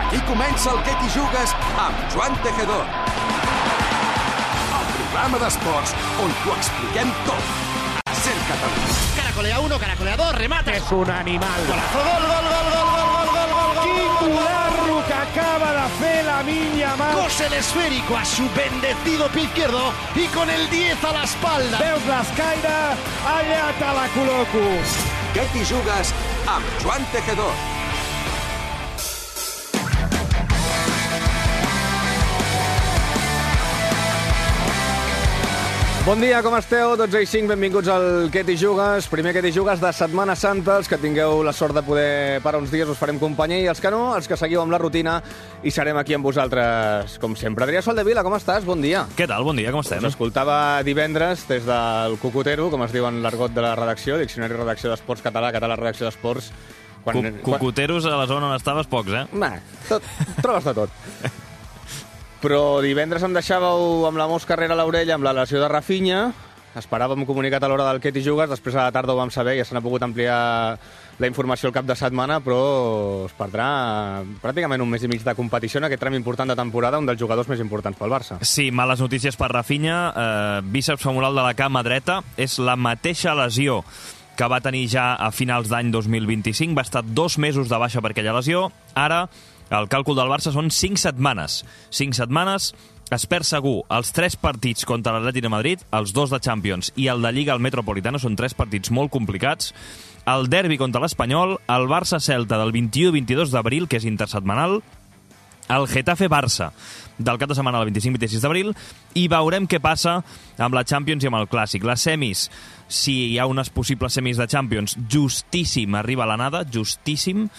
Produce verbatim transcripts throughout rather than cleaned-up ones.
Aquí comença el Què t'hi jugues amb Joan Tejedor. El programa d'esports on t'ho expliquem tot. A Ser Catalunya. Caracolea uno, caracolea dos, remata. És un animal. Golazo, gol, gol, gol, gol, gol, gol, gol, gol, gol. Quin golazo que acaba de fer Lamine Yamal. Cose el esférico a su bendecido pie izquierdo y con el diez a la espalda. Veus l'escaire? Allà te la col·loco. Què t'hi jugues amb Joan Tejedor. Bon dia, com esteu? dotze i cinc, benvinguts al Què t'hi jugues. Primer Què t'hi jugues de Setmana Santa. Els que tingueu la sort de poder parar uns dies us farem companyia, i els que no, els que seguiu amb la rutina, i serem aquí amb vosaltres, com sempre. Adrià Soldevila, com estàs? Bon dia. Què tal? Bon dia, com estem? Us escoltava divendres des del Cucutero, com es diu en l'argot de la redacció, Diccionari Redacció d'Esports Català, Català Redacció d'Esports. Quan, Cucuteros a la zona on estaves, pocs, eh? Bah, tot, trobes de tot. Però divendres em deixàveu amb la mosca darrere l'orella amb la lesió de Rafinha. Esperàvem comunicat a l'hora del Què t'hi jugues. Després a la tarda ho vam saber, ja se n'ha pogut ampliar la informació al cap de setmana, però es perdrà pràcticament un mes i mig de competició en aquest tram important de temporada, un dels jugadors més importants pel Barça. Sí, males notícies per Rafinha. Eh, bíceps femoral de la cama dreta. És la mateixa lesió que va tenir ja a finals d'any dos mil vint-i-cinc. Va estar dos mesos de baixa per aquella lesió. Ara el càlcul del Barça són cinc setmanes. cinc setmanes, es perd segur els tres partits contra l'Atlètic de Madrid, els dos de Champions i el de Lliga al Metropolitano, són tres partits molt complicats. El derbi contra l'Espanyol, el Barça-Celta del vint-i-u i vint-i-dos d'abril, que és intersetmanal, el Getafe-Barça del cap de setmana del vint-i-cinc i vint-i-sis d'abril, i veurem què passa amb la Champions i amb el Clàssic. Les semis, si hi ha unes possibles semis de Champions, justíssim arriba a l'anada, justíssim,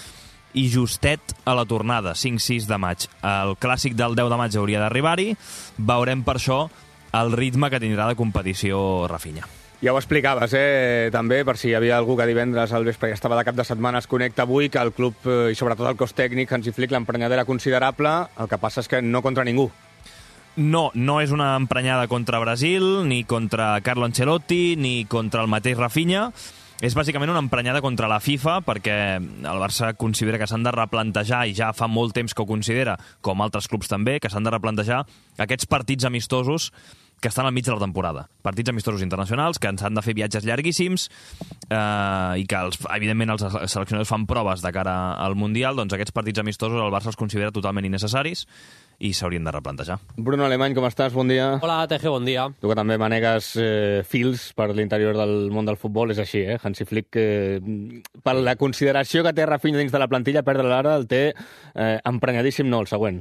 i justet a la tornada, cinc sis de maig. El Clàssic del deu de maig hauria d'arribar-hi. Veurem per això el ritme que tindrà de competició Rafinha. Ja ho explicaves, eh? També, per si hi havia algú que divendres al vespre ja estava de cap de setmana, es connecta avui, que el club i sobretot el cos tècnic, Hansi Flick, l'emprenyada era considerable. El que passa és que no contra ningú. No, no és una emprenyada contra Brasil, ni contra Carlo Ancelotti, ni contra el mateix Rafinha. És bàsicament una emprenyada contra la FIFA, perquè el Barça considera que s'han de replantejar, i ja fa molt temps que ho considera, com altres clubs també, que s'han de replantejar aquests partits amistosos que estan al mig de la temporada. Partits amistosos internacionals, que ens han de fer viatges llarguíssims, eh, i que, els, evidentment, els seleccionadors fan proves de cara al Mundial. Doncs aquests partits amistosos el Barça els considera totalment innecessaris i s'haurien de replantejar. Bruno Alemany, com estàs? Bon dia. Hola, Teje, bon dia. Tu que també manegues eh, fils per l'interior del món del futbol, és així, eh? Hansi Flick, eh, per la consideració que té Rafinha dins de la plantilla, perdre l'ara, el té eh, emprenyadíssim, no, el següent.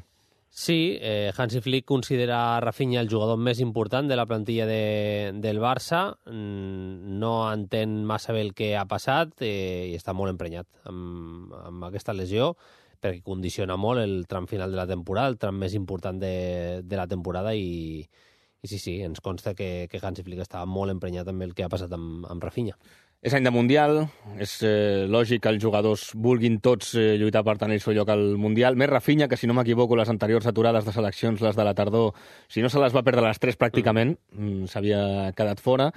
Sí, eh, Hansi Flick considera Rafinha el jugador més important de la plantilla de, del Barça. No entén massa bé el que ha passat eh, i està molt emprenyat amb, amb aquesta lesió, perquè condiciona molt el tram final de la temporada, el tram més important de, de la temporada, i, i sí, sí, ens consta que, que Hansi Flick estava molt emprenyat amb el que ha passat amb, amb Rafinha. És any de Mundial, és eh, lògic que els jugadors vulguin tots eh, lluitar per tenir el seu lloc al Mundial. Més Rafinha, que si no m'equivoco, les anteriors aturades de seleccions, les de la tardor, si no se les va perdre les tres pràcticament, mm. s'havia quedat fora.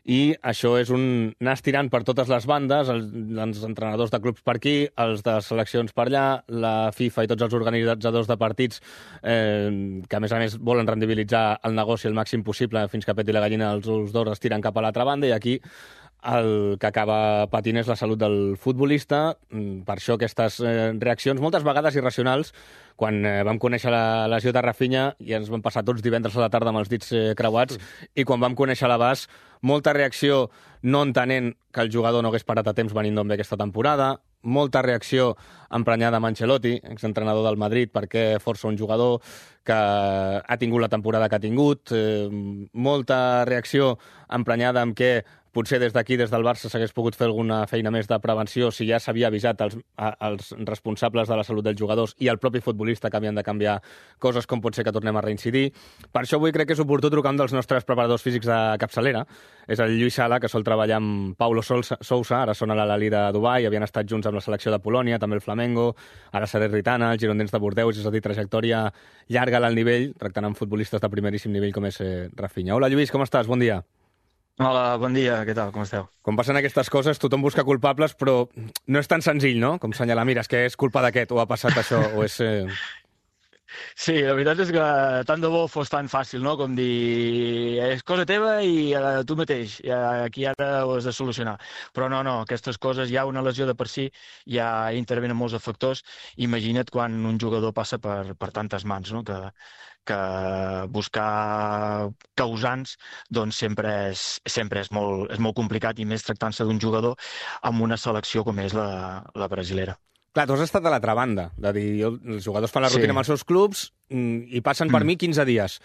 I això és un anar estirant per totes les bandes, els, els entrenadors de clubs per aquí, els de seleccions per allà, la FIFA i tots els organitzadors de partits eh, que, a més a més, volen rendibilitzar el negoci el màxim possible fins que peti la gallina, els ous d'or es tiren cap a l'altra banda, i aquí el que acaba patint és la salut del futbolista. Per això aquestes eh, reaccions, moltes vegades irracionals. Quan eh, vam conèixer la lesió de Rafinha, i ens vam passar tots divendres a la tarda amb els dits eh, creuats, mm. i quan vam conèixer l'abast, molta reacció no entenent que el jugador no hagués parat a temps venint d'on ve aquesta temporada, molta reacció emprenyada amb Ancelotti, exentrenador del Madrid, perquè força un jugador que ha tingut la temporada que ha tingut, eh, molta reacció emprenyada amb què potser des d'aquí, des del Barça, s'hagués pogut fer alguna feina més de prevenció si ja s'havia avisat els, els responsables de la salut dels jugadors i el propi futbolista que havien de canviar coses, com pot ser que tornem a reincidir. Per això avui crec que és oportú trucar un dels nostres preparadors físics de capçalera. És el Lluís Sala, que sol treballar amb Paulo Sousa, ara són a l'Al-Ahly de Dubai, havien estat junts amb la selecció de Polònia, també el Flamengo, ara Salernitana, els girondins de Bordeus, és a dir, trajectòria llarga a l'alt nivell, tractant amb futbolistes de primeríssim nivell com és eh, Rafinha. Hola, Lluís, com estàs? Bon dia. Hola, bon dia, què tal, com esteu? Quan passen aquestes coses, tothom busca culpables, però no és tan senzill, no? Com senyalar, mira, és que és culpa d'aquest, o ha passat això, o és... Eh... Sí, la veritat és que tant de bo fos tan fàcil, no?, com dir és cosa teva i uh, tu mateix, uh, aquí ara ho has de solucionar. Però no, no, aquestes coses, ja una lesió de per si, ja intervenen molts factors. Imagina't quan un jugador passa per, per tantes mans, no?, que, que buscar causants doncs sempre és, sempre és, molt, és molt complicat, i més tractant-se d'un jugador amb una selecció com és la, la brasilera. Clar, tu has estat de l'altra banda, de dir, jo, els jugadors fan la rutina sí. amb els seus clubs i passen per mm. mi quinze dies.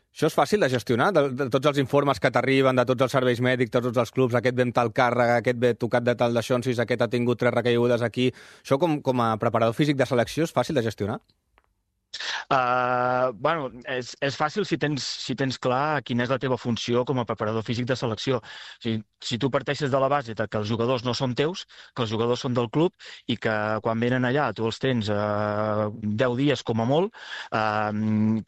Això és fàcil de gestionar, de, de tots els informes que t'arriben, de tots els serveis mèdics, de tots els clubs, aquest ve amb tal càrrega, aquest ve tocat de tal de xonsis, aquest ha tingut tres recaigudes aquí. Això com, com a preparador físic de selecció és fàcil de gestionar? Uh, bueno, és, és fàcil si tens, si tens clar quina és la teva funció com a preparador físic de selecció. O sigui, si tu parteixes de la base de que els jugadors no són teus, que els jugadors són del club i que quan venen allà tu els tens uh, deu dies com a molt, uh,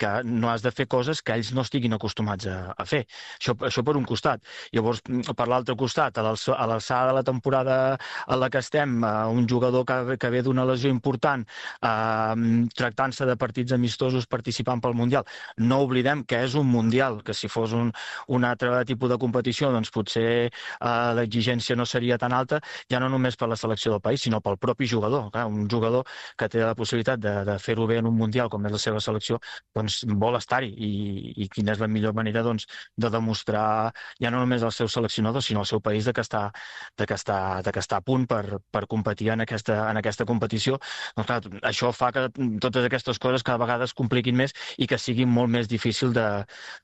que no has de fer coses que ells no estiguin acostumats a, a fer. Això, això per un costat. Llavors, per l'altre costat, a l'alçada de la temporada a la que estem, uh, un jugador que, que ve d'una lesió important, uh, tractant-se de partits amistosos participant pel Mundial. No oblidem que és un Mundial, que si fos un, un altre tipus de competició, doncs potser eh, l'exigència no seria tan alta, ja no només per la selecció del país, sinó pel propi jugador. Clar, un jugador que té la possibilitat de, de fer-ho bé en un Mundial, com és la seva selecció, doncs vol estar-hi. I, i quina és la millor manera doncs, de demostrar ja no només al seu seleccionador, sinó al seu país de que està, de que està, de que està a punt per, per competir en aquesta, en aquesta competició. Doncs, clar, això fa que totes aquestes coses cada vegada es compliquin més i que sigui molt més difícil de,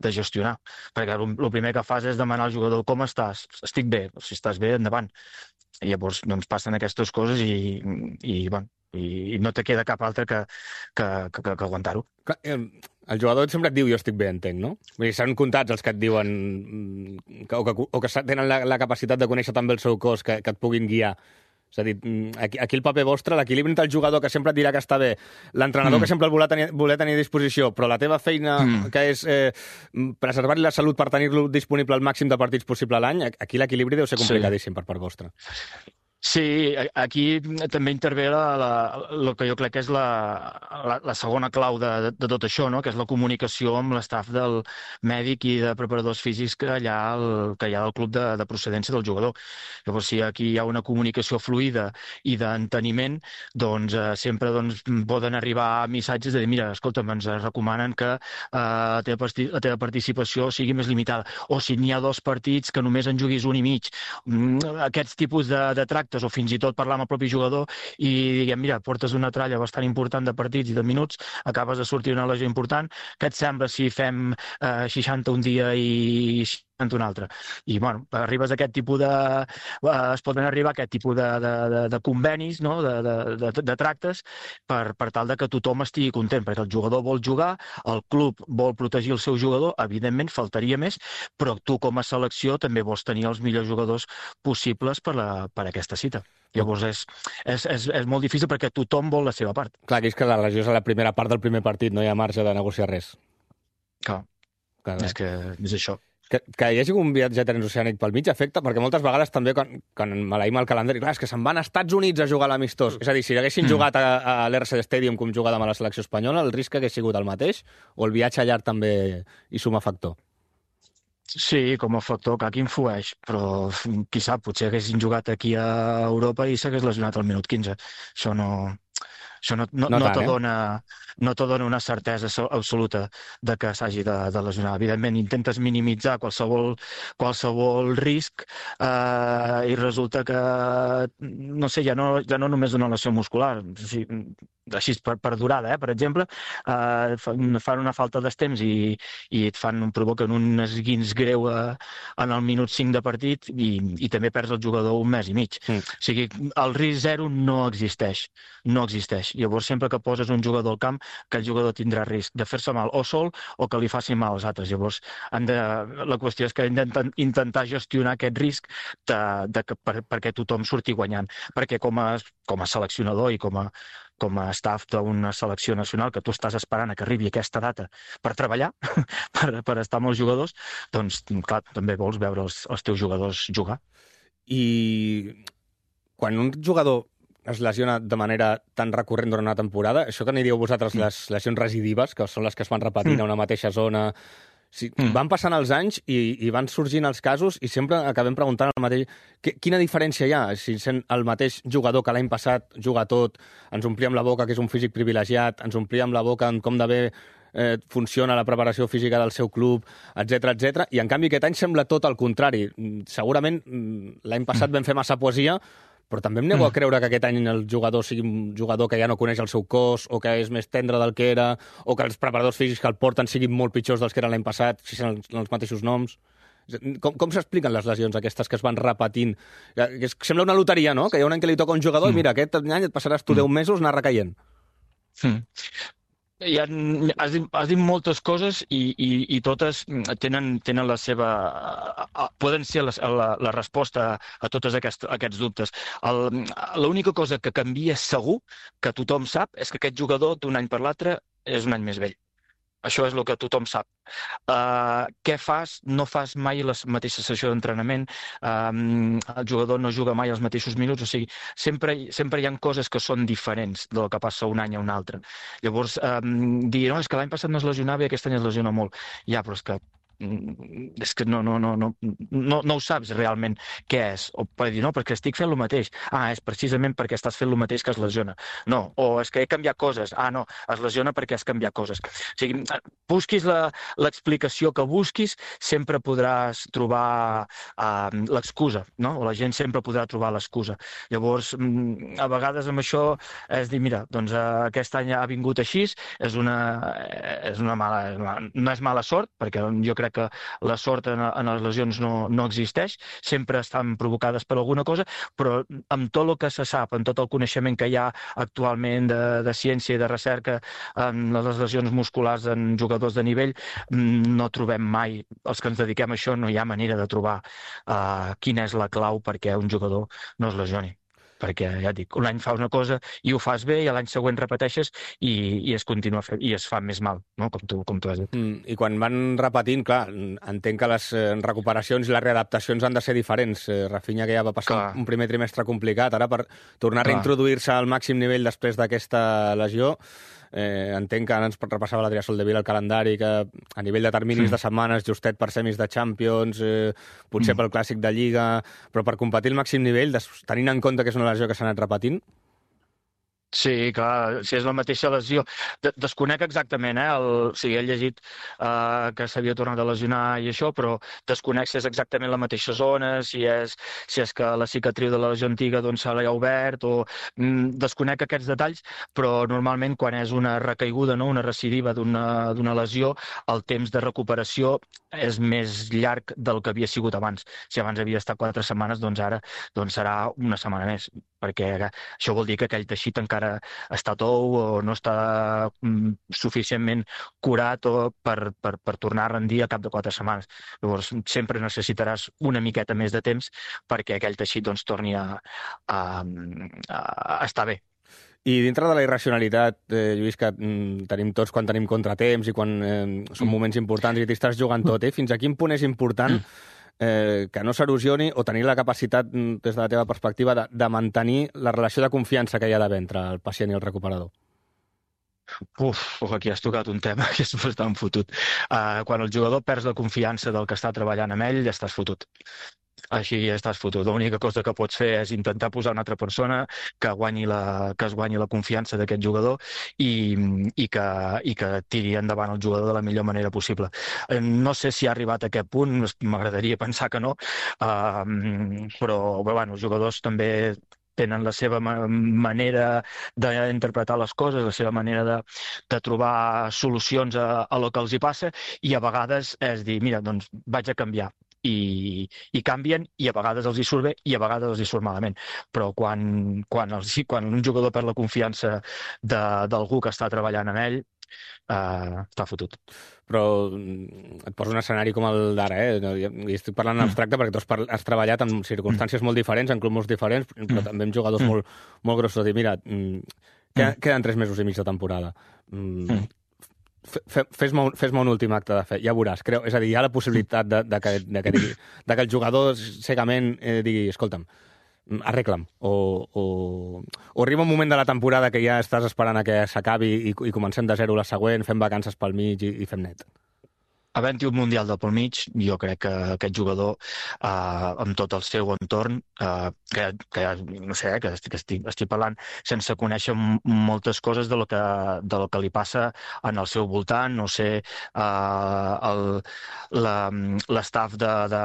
de gestionar. Perquè el primer que fas és demanar al jugador com estàs? Estic bé. Si estàs bé, endavant. I llavors doncs, passen aquestes coses i, i, bueno, i, i no te queda cap altre que, que, que, que aguantar-ho. El jugador sempre et diu jo estic bé, entenc, no? Vull dir, s'han comptats els que et diuen que, o, que, o que tenen la, la capacitat de conèixer també el seu cos, que, que et puguin guiar. És a dir, aquí, aquí el paper vostre, l'equilibri entre el jugador que sempre et dirà que està bé, l'entrenador mm. que sempre el voler tenir, voler tenir a disposició, però la teva feina mm. que és eh, preservar-li la salut per tenir-lo disponible al màxim de partits possible a l'any, aquí l'equilibri deu ser complicadíssim sí. per part vostra. Sí, aquí també intervé la, la, el que jo crec que és la, la, la segona clau de, de, de tot això, no? Que és la comunicació amb l'estaf del mèdic i de preparadors físics que hi ha, el, que hi ha del club de, de procedència del jugador. Llavors, si aquí hi ha una comunicació fluida i d'enteniment, doncs eh, sempre doncs, poden arribar missatges de dir, mira, escolta'm, ens recomanen que eh, la, teva, la teva participació sigui més limitada, o si n'hi ha dos partits que només en juguis un i mig. Aquests tipus de, de tractes, o fins i tot parlar amb el propi jugador i diguem, mira, portes una tralla bastant important de partits i de minuts, acabes de sortir una lesió important, què et sembla si fem eh, seixanta un dia i seixanta un altre? I, bueno, arribes a aquest tipus de... Eh, es poden arribar a aquest tipus de, de, de, de convenis, no?, de, de, de, de tractes, per, per tal de que tothom estigui content, perquè el jugador vol jugar, el club vol protegir el seu jugador, evidentment, faltaria més, però tu com a selecció també vols tenir els millors jugadors possibles per, la, per aquesta cita. Llavors és, és, és, és molt difícil perquè tothom vol la seva part. Clar, que és que la lesió és a la primera part del primer partit, no hi ha marge de negociar res. Clar, Clar és que és això. Que, que hi hagi un viatge transoceànic pel mig afecta, perquè moltes vegades també quan, quan maleïm el calendari, clar, és que se'n van a Estats Units a jugar a l'amistós. És a dir, si haguessin mm. jugat a, a l'R C Stadium com jugàvem a la selecció espanyola, el risc hagués sigut el mateix, o el viatge llarg també hi suma factor? Sí, com a factor, que aquí influeix, però qui sap, potser haguessin jugat aquí a Europa i s'hagués lesionat al minut quinze. Això no... Això no, no, no, no te dona, no te dona una certesa absoluta de que s'hagi de, de lesionar. Evidentment, intentes minimitzar qualsevol, qualsevol risc eh, i resulta que, no sé, ja no, ja no només una lesió muscular, o sigui, així per, per durada, eh, per exemple, eh, fan una falta d'estemps i, i et fan, provoquen un esguins greu a, en el minut cinc de partit i, i també perds el jugador un mes i mig. Mm. O sigui, el risc zero no existeix, no existeix. Llavors, sempre que poses un jugador al camp, aquell jugador tindrà risc de fer-se mal o sol o que li faci mal als altres. Llavors, han de... la qüestió és que hem d'intentar gestionar aquest risc de, de que, per, perquè tothom surti guanyant. Perquè com a, com a seleccionador i com a, com a staff d'una selecció nacional, que tu estàs esperant a que arribi aquesta data per treballar, per, per estar amb els jugadors, doncs, clar, també vols veure els, els teus jugadors jugar. I quan un jugador es lesiona de manera tan recurrent durant una temporada, això que n'hi dieu vosaltres mm. les lesions recidives, que són les que es van repetint mm. a una mateixa zona, si, mm. van passant els anys i, i van sorgint els casos i sempre acabem preguntant el mateix. Quina diferència hi ha? Si sent el mateix jugador que l'any passat juga tot, ens omplíem la boca que és un físic privilegiat, ens omplíem la boca en com de bé eh, funciona la preparació física del seu club, etcètera, etcètera. I en canvi aquest any sembla tot el contrari. Segurament l'any passat vam fer massa poesia, però també em nego a creure que aquest any el jugador sigui un jugador que ja no coneix el seu cos, o que és més tendre del que era, o que els preparadors físics que el porten siguin molt pitjors dels que eren l'any passat, si són els, els mateixos noms. Com, com s'expliquen les lesions aquestes que es van repetint? Que sembla una loteria, no? Que hi ha un any que li toca un jugador i mira, aquest any et passaràs tu deu mesos anar recaient. Mm. Hi ha, has, dit, has dit moltes coses i, i, i totes tenen, tenen la seva... poden ser la, la, la resposta a tots aquests, aquests dubtes. L'única cosa que canvia segur, que tothom sap, és que aquest jugador d'un any per l'altre és un any més vell. Això és el que tothom sap. Uh, què fas? No fas mai la mateixa sessió d'entrenament, um, el jugador no juga mai els mateixos minuts, o sigui, sempre, sempre hi ha coses que són diferents del que passa un any a un altre. Llavors, um, dir, no, és que l'any passat no es lesionava i aquest any es lesiona molt. Ja, però és que és que no, no, no, no, no, no ho saps realment què és, o per dir, no, perquè estic fent el mateix, ah, és precisament perquè estàs fent el mateix que es lesiona, no, o és que he canviat coses, ah, no, es lesiona perquè has canviat coses. O sigui, busquis l'explicació que busquis, sempre podràs trobar uh, l'excusa, no? O la gent sempre podrà trobar l'excusa. Llavors, a vegades amb això és dir, mira, doncs uh, aquest any ha vingut així, és una, és una mala, no és mala sort, perquè jo crec que la sort en, en les lesions no, no existeix, sempre estan provocades per alguna cosa, però amb tot el que se sap, amb tot el coneixement que hi ha actualment de, de ciència i de recerca en les lesions musculars en jugadors de nivell, no trobem mai, els que ens dediquem a això, no hi ha manera de trobar uh, quina és la clau perquè un jugador no es lesioni. Perquè, ja et dic, un any fa una cosa i ho fas bé i l'any següent repeteixes i, i es continua fent, i es fa més mal, no? com, tu, com tu has dit. Mm, I quan van repetint, clar, entenc que les eh, recuperacions i les readaptacions han de ser diferents. Eh, Rafinha, que ja va passar clar. un primer trimestre complicat, ara per tornar clar. a reintroduir-se al màxim nivell després d'aquesta lesió, Eh, entenc que ara ens repassava l'Adrià Soldevila el calendari, que a nivell de terminis sí. de setmanes, justet per semis de Champions, eh, potser mm. pel clàssic de Lliga, però per competir al màxim nivell, tenint en compte que és una lesió que s'ha anat repetint? Sí, clar, si és la mateixa lesió. De desconec exactament, eh? El, o sigui, he llegit uh, que s'havia tornat a lesionar i això, però desconec si és exactament la mateixa zona, si és, si és que la cicatriu de la lesió antiga doncs, se l'ha obert, o mm, desconec aquests detalls, però normalment quan és una recaiguda, no? Una recidiva d'una lesió, el temps de recuperació és més llarg del que havia sigut abans. Si abans havia estat quatre setmanes, doncs ara doncs serà una setmana més, perquè això vol dir que aquell teixit encara està tou o no està mm, suficientment curat o per, per, per tornar a rendir a cap de quatre setmanes. Llavors, sempre necessitaràs una miqueta més de temps perquè aquell teixit doncs, torni a, a, a, a estar bé. I dintre de la irracionalitat, eh, Lluís, que mm, tenim tots quan tenim contratemps i quan eh, són moments importants i t'estàs jugant tot, eh? Fins a quin punt és important eh, que no s'erosioni o tenir la capacitat, des de la teva perspectiva, de, de mantenir la relació de confiança que hi ha d'haver entre el pacient i el recuperador? Uf, aquí has tocat un tema que és bastant fotut. Uh, quan el jugador perds la confiança del que està treballant amb ell, ja estàs fotut. Així ja estàs fotut. L'única cosa que pots fer és intentar posar una altra persona que, guanyi la, que es guanyi la confiança d'aquest jugador i, i, que, i que tiri endavant el jugador de la millor manera possible. No sé si ha arribat a aquest punt, m'agradaria pensar que no, uh, però bueno, els jugadors també tenen la seva manera d'interpretar les coses, la seva manera de, de trobar solucions a, a lo que els hi passa, i a vegades és dir, mira, doncs vaig a canviar. i, i canvien, i a vegades els hi surt bé i a vegades els hi surt malament. Però quan, quan, els, quan un jugador perd la confiança d'algú que està treballant amb ell, Uh, està fotut. Però et poso un escenari com el d'ara, eh? I estic parlant en abstracte perquè tu has, has treballat en circumstàncies molt diferents, en clubs molt diferents, però també amb jugadors mm. molt, molt grossos. I mira, mm, queden, queden tres mesos i mig de temporada. Mm, Fes-me un, fes un últim acte de fe, ja veuràs. Creu, és a dir, hi ha la possibilitat de, de, que, de, que, digui, de que el jugador cegament eh, digui, escolta'm, arregla'm, o, o, o arriba un moment de la temporada que ja estàs esperant a que s'acabi i, i comencem de zero la següent, fem vacances pel mig i, i fem net. Havent-hi un Mundial del pel mig, jo crec que aquest jugador, eh, amb tot el seu entorn, eh, que, que no sé, que estic, estic, estic parlant sense conèixer moltes coses de lo que, de lo que li passa en el seu voltant, no sé, eh, l'estaf de, de,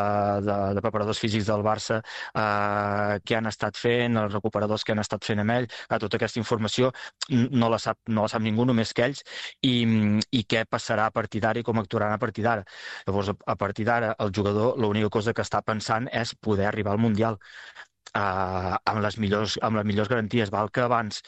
de, de preparadors físics del Barça, eh, què han estat fent, els recuperadors que han estat fent amb ell, que tota aquesta informació no la sap, no la sap ningú, només que ells, i, i què passarà a partir d'ara i com actuaran a partir d'ara. Llavors, a partir d'ara, el jugador l'única cosa que està pensant és poder arribar al Mundial uh, amb, les millors, amb les millors garanties. Val que abans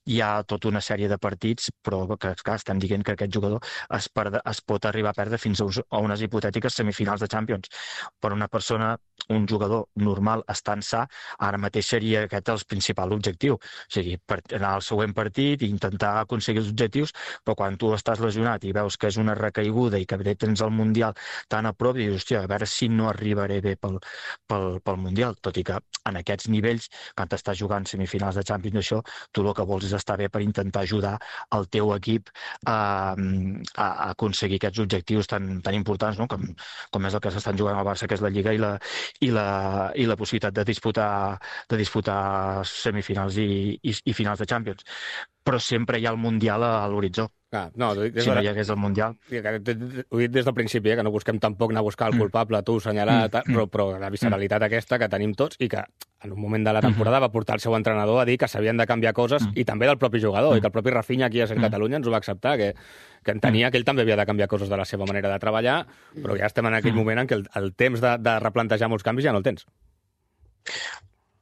hi ha tota una sèrie de partits, però que, clar, estem dient que aquest jugador es, perde, es pot arribar a perdre fins a unes hipotètiques semifinals de Champions. Per una persona, un jugador normal, estant sa, ara mateix seria aquest el principal objectiu. O sigui, per anar al següent partit i intentar aconseguir els objectius, però quan tu estàs lesionat i veus que és una recaiguda i que tens el Mundial tan a prop, i dius, hòstia, a veure si no arribaré bé pel, pel, pel Mundial. Tot i que en aquests nivells, quan estàs jugant semifinals de Champions, això, tu el que vols és estar bé per intentar ajudar el teu equip a, a aconseguir aquests objectius tan, tan importants, no? com, com és el que s'estan jugant al Barça, que és la Lliga i la, i la, i la possibilitat de disputar, de disputar semifinals i, i, i finals de Champions. Però sempre hi ha el Mundial a l'horitzó. Ah, no, des si no hi hagués el Mundial. Ho he dit des del principi, eh, que no busquem tampoc anar a buscar el culpable, tu, assenyalar, mm. però, però la visceralitat aquesta que tenim tots i que en un moment de la temporada va portar el seu entrenador a dir que s'havien de canviar coses mm. i també del propi jugador, mm. i que el propi Rafinha aquí a Ser Catalunya ens ho va acceptar, que, que entenia que ell també havia de canviar coses de la seva manera de treballar, però ja estem en aquell moment en què el, el temps de, de replantejar molts canvis ja no el tens.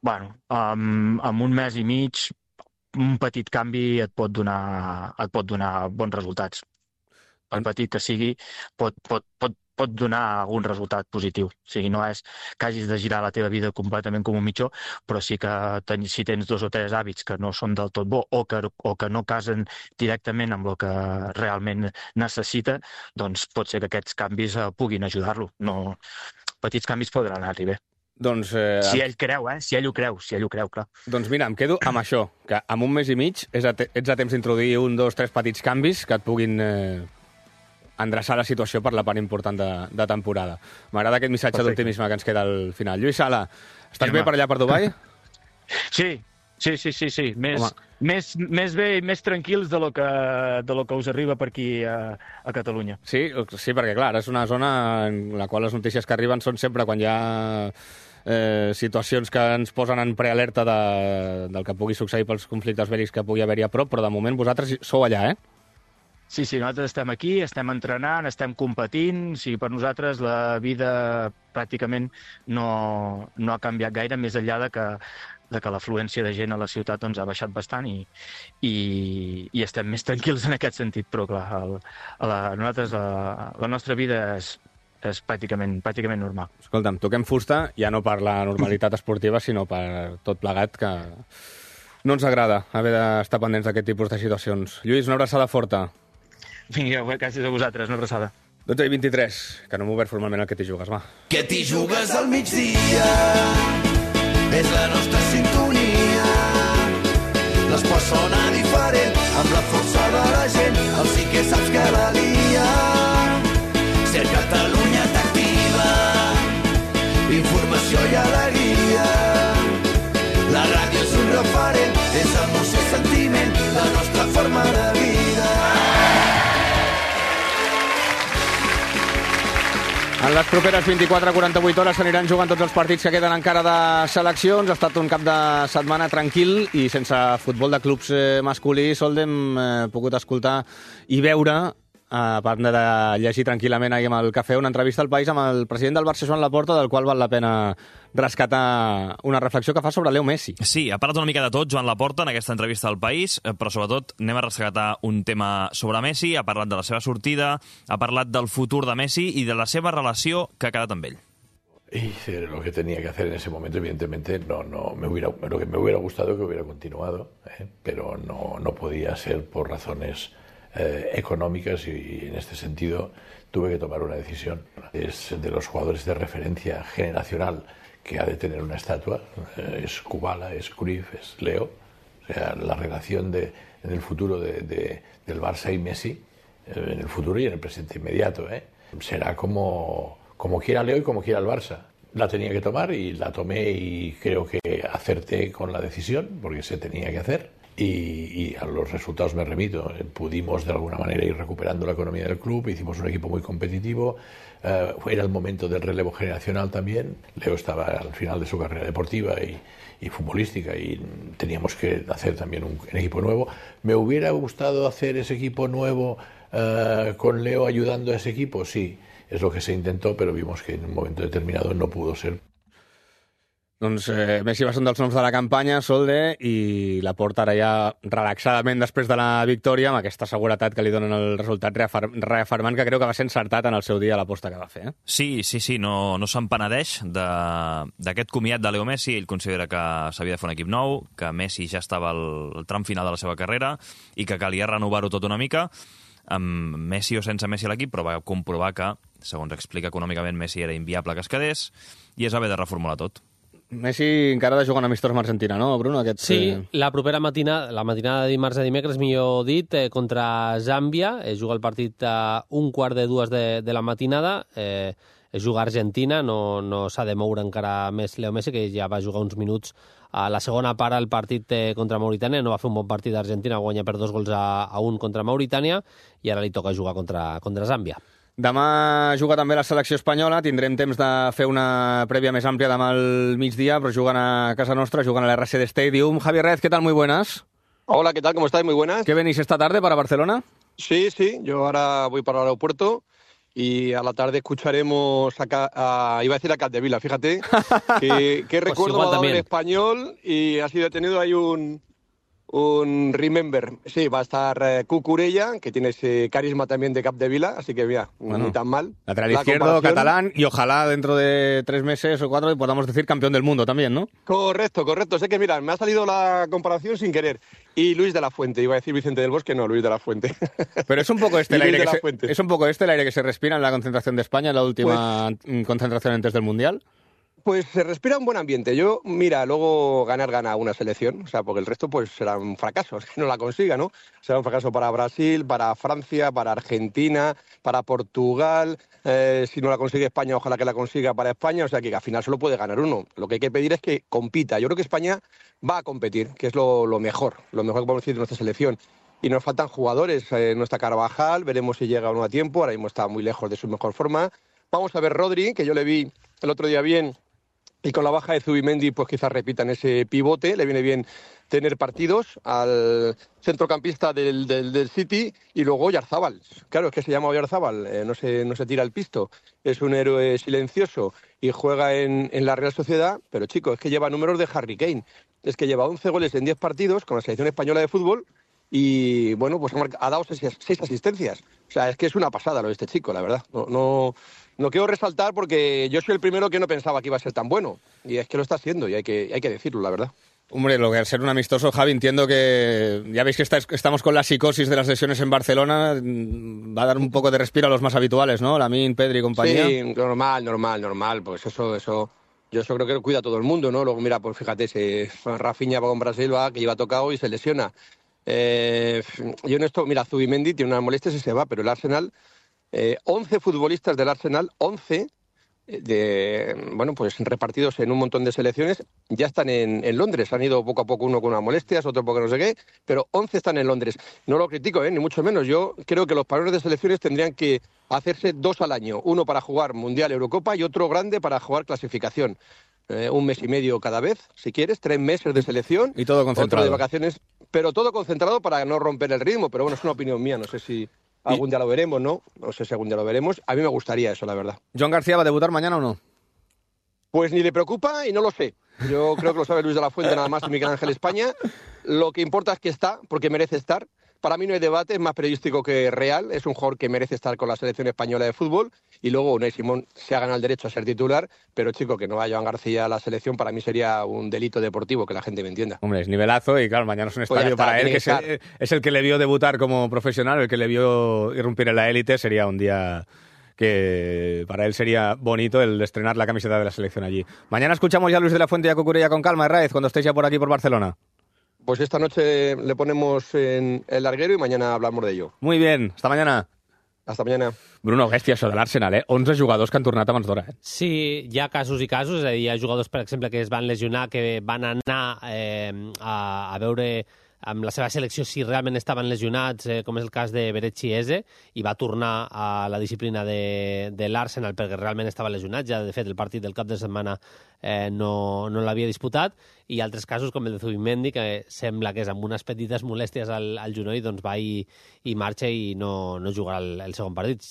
Bueno, um, amb un mes i mig un petit canvi et pot donar, et pot donar bons resultats. Per petit que sigui, pot, pot, pot, pot donar algun resultat positiu. O sigui, no és que hagis de girar la teva vida completament com un mitjó, però sí que ten, si tens dos o tres hàbits que no són del tot bo o que, o que no casen directament amb el que realment necessita, doncs pot ser que aquests canvis eh, puguin ajudar-lo. No, petits canvis podran anar-hi bé. Doncs, eh, si ell creu, eh? Si ell ho creu, si ell ho creu, clar. Doncs mira, em quedo amb això, que en un mes i mig és a te ets a temps d'introduir un, dos, tres petits canvis que et puguin eh, endreçar la situació per la part important de, de temporada. M'agrada aquest missatge d'optimisme que ens queda al final. Lluís Sala, estàs sí, bé per allà per Dubai? Sí, sí, sí, sí, sí. Més, més, més bé i més tranquils de lo que, de lo que us arriba per aquí a, a Catalunya. Sí, sí, perquè clar, és una zona en la qual les notícies que arriben són sempre quan hi ha eh, situacions que ens posen en prealerta de, del que pugui succeir pels conflictes bèl·lics que pugui haver-hi a prop, però de moment vosaltres sou allà, eh? Sí, sí, nosaltres estem aquí, estem entrenant, estem competint, o sigui, per nosaltres la vida pràcticament no, no ha canviat gaire, més enllà de que, de que l'afluència de gent a la ciutat doncs, ha baixat bastant i, i, i estem més tranquils en aquest sentit, però clar, el, la, nosaltres la, la nostra vida és, és pràcticament, pràcticament normal. Escolta'm, toquem fusta, ja no per la normalitat esportiva, sinó per tot plegat, que no ens agrada haver d'estar pendents d'aquest tipus de situacions. Lluís, una abraçada forta. Vinga, gràcies a vosaltres, una abraçada. dotze i vint-i-tres, que no m'ho obert formalment el que t'hi jugues, va. Que t'hi jugues al migdia, és la nostra sintonia. L'esport sona diferent, amb la força de la gent, el sí que saps que la lia. Ser Catalunya t'activa, informació i alegria. La ràdio és un referent, és emoció i sentiment, la nostra forma de vida. En les properes vint-i-quatre a quaranta-vuit hores s'aniran jugant tots els partits que queden encara de seleccions. Ha estat un cap de setmana tranquil i sense futbol de clubs eh, masculí. Sol hem eh, pogut escoltar i veure a part de llegir tranquil·lament ahir amb el cafè, una entrevista al País amb el president del Barça, Joan Laporta, del qual val la pena rescatar una reflexió que fa sobre Leo Messi. Sí, ha parlat una mica de tot Joan Laporta en aquesta entrevista al País, però sobretot anem a rescatar un tema sobre Messi, ha parlat de la seva sortida, ha parlat del futur de Messi i de la seva relació que ha quedat amb ell. Hice lo que tenía que hacer en ese momento, evidentemente no, no me hubiera, lo que me hubiera gustado que hubiera continuado, ¿eh? Pero no, no podía ser por razones eh, económicas y en este sentido tuve que tomar una decisión. Es de los jugadores de referencia generacional que ha de tener una estatua, eh, es Kubala, es Cruyff, es Leo, o sea, la relación de, en el futuro de, de, del Barça y Messi, eh, en el futuro y en el presente inmediato, ¿eh? Será como... como quiera Leo y como quiera el Barça. La tenía que tomar y la tomé y creo que acerté con la decisión porque se tenía que hacer y, y a los resultados me remito. Pudimos de alguna manera ir recuperando la economía del club, hicimos un equipo muy competitivo, eh, era el momento del relevo generacional también. Leo estaba al final de su carrera deportiva y, y futbolística y teníamos que hacer también un, un equipo nuevo. Me hubiera gustado hacer ese equipo nuevo eh, con Leo ayudando a ese equipo, sí. És el que se intentó, però vimos que en un moment determinado no pudo ser. Doncs eh, Messi va ser un dels noms de la campanya, Solde, i la porta ara ja relaxadament després de la victòria, amb aquesta seguretat que li donen el resultat, reafirmant que creu que va ser encertat en el seu dia l'aposta que va fer. Eh? Sí, sí, sí, no, no se'n penedeix d'aquest comiat de Leo Messi. Ell considera que s'havia de fer un equip nou, que Messi ja estava al tram final de la seva carrera i que calia renovar-ho tot una mica, amb Messi o sense Messi a l'equip, però va comprovar que, segons explica econòmicament, Messi era inviable que es quedés i es va haver de reformular tot. Messi encara ha de jugar un amistós amb Argentina, no, Bruno? Aquest, sí, la propera matinada, la matinada de dimarts a dimecres, millor dit, eh, contra Zàmbia. Es juga el partit a un quart de dues de, de la matinada. Eh, es juga a Argentina, no, no s'ha de moure encara més Leo Messi, que ja va jugar uns minuts a la segona part al partit eh, contra Mauritània. No va fer un bon partit d'Argentina, guanya per dos gols a, a un contra Mauritània, i ara li toca jugar contra, contra Zàmbia. Demà juga també la selecció espanyola, tindrem temps de fer una prèvia més àmplia demà al migdia, però juguen a casa nostra, juguen a la R C D Stadium. Javier Rez, ¿qué tal? Muy buenas. Hola, ¿qué tal? ¿Cómo estáis? Muy buenas. ¿Qué venís esta tarde para Barcelona? Sí, sí, yo ahora voy para el aeropuerto y a la tarde escucharemos a, a iba a decir a Capdevila, fíjate, que, que pues recuerdo ha dado en español y ha sido detenido ahí un... un remember. Sí, va a estar eh, Cucurella, que tiene ese carisma también de Capdevila, así que mira, bueno, ni tan mal. Lateral izquierdo, catalán, y ojalá dentro de tres meses o cuatro podamos decir campeón del mundo también, ¿no? Correcto, correcto. Sé que, mira, me ha salido la comparación sin querer. Y Luis de la Fuente, iba a decir Vicente del Bosque, no, Luis de la Fuente. Pero es un poco este el aire que se, es un poco este el aire que se respira en la concentración de España, en la última pues, concentración antes del Mundial. Pues se respira un buen ambiente. Yo, mira, luego ganar gana una selección, o sea, porque el resto pues serán fracasos, que no la consiga, ¿no? Será un fracaso para Brasil, para Francia, para Argentina, para Portugal. Eh, si no la consigue España, ojalá que la consiga para España. O sea, que al final solo puede ganar uno. Lo que hay que pedir es que compita. Yo creo que España va a competir, que es lo, lo mejor, lo mejor que podemos decir de nuestra selección. Y nos faltan jugadores. Eh, no está Carvajal, veremos si llega o no a tiempo. Ahora mismo está muy lejos de su mejor forma. Vamos a ver Rodri, que yo le vi el otro día bien. Y con la baja de Zubimendi, pues quizás repitan ese pivote. Le viene bien tener partidos al centrocampista del, del, del City. Y luego Oyarzábal. Claro, es que se llama Oyarzábal, eh, no, se, no se tira el pisto. Es un héroe silencioso y juega en, en la Real Sociedad. Pero, chicos, es que lleva números de Harry Kane. Es que lleva once goles en diez partidos con la selección española de fútbol. Y, bueno, pues ha, marcado, ha dado seis, seis asistencias. O sea, es que es una pasada lo de este chico, la verdad. No... no No quiero resaltar porque yo soy el primero que no pensaba que iba a ser tan bueno. Y es que lo está haciendo y hay que, hay que decirlo, la verdad. Hombre, lo que al ser un amistoso, Javi, entiendo que ya veis que está, estamos con la psicosis de las lesiones en Barcelona. Va a dar un poco de respiro a los más habituales, ¿no? Lamine, Pedri y compañía. Sí, normal, normal, normal. Pues eso, eso, yo eso creo que lo cuida todo el mundo, ¿no? Luego, mira, pues fíjate, se, Rafinha va con Brasil, va, que lleva tocado y se lesiona. Eh, yo en esto, mira, Zubimendi tiene unas molestias y se va, pero el Arsenal... Eh, once futbolistas del Arsenal, once, de, bueno, pues repartidos en un montón de selecciones, ya están en, en Londres. Han ido poco a poco, uno con unas molestias, otro porque no sé qué, pero once están en Londres. No lo critico, ¿eh? Ni mucho menos. Yo creo que los parones de selecciones tendrían que hacerse dos al año. Uno para jugar Mundial, Eurocopa y otro grande para jugar clasificación. Eh, un mes y medio cada vez, si quieres, tres meses de selección. Y todo concentrado. Otro de vacaciones, pero todo concentrado para no romper el ritmo. Pero bueno, es una opinión mía, no sé si... Algún día lo veremos, ¿no? No sé si algún día lo veremos. A mí me gustaría eso, la verdad. ¿Joan García va a debutar mañana o no? Pues ni le preocupa y no lo sé. Yo creo que lo sabe Luis de la Fuente nada más y Miguel Ángel España. Lo que importa es que está, porque merece estar. Para mí no hay debate, es más periodístico que real. Es un jugador que merece estar con la selección española de fútbol. Y luego Unai Simón se ha ganado el derecho a ser titular. Pero, chico, que no vaya Joan García a la selección para mí sería un delito deportivo, que la gente me entienda. Hombre, es nivelazo y claro, mañana es un estadio pues está, para él, que, que es, el, es el que le vio debutar como profesional, el que le vio irrumpir en la élite. Sería un día que para él sería bonito el estrenar la camiseta de la selección allí. Mañana escuchamos ya a Luis de la Fuente y a Cucurella con calma, Herráez, cuando estéis ya por aquí por Barcelona. Pues esta noche le ponemos en el larguero y mañana hablamos de ello. Muy bien, hasta mañana. Hasta mañana. Bruno, bèstia, això de l'Arsenal, eh? onze jugadors que han tornat abans d'hora, eh? Sí, hi ha casos i casos, és a dir, hi ha jugadors, per exemple, que es van lesionar, que van anar eh, a, a veure amb la seva selecció si realment estaven lesionats, eh, com és el cas de Berechi Eze, i va tornar a la disciplina de, de l'Arsenal perquè realment estava lesionat. Ja, de fet, el partit del cap de setmana eh, no, no l'havia disputat, i altres casos, com el de Zubimendi, que sembla que és amb unes petites molèsties al, al genoll, doncs va i, i marxa i no, no jugarà el, el segon partit.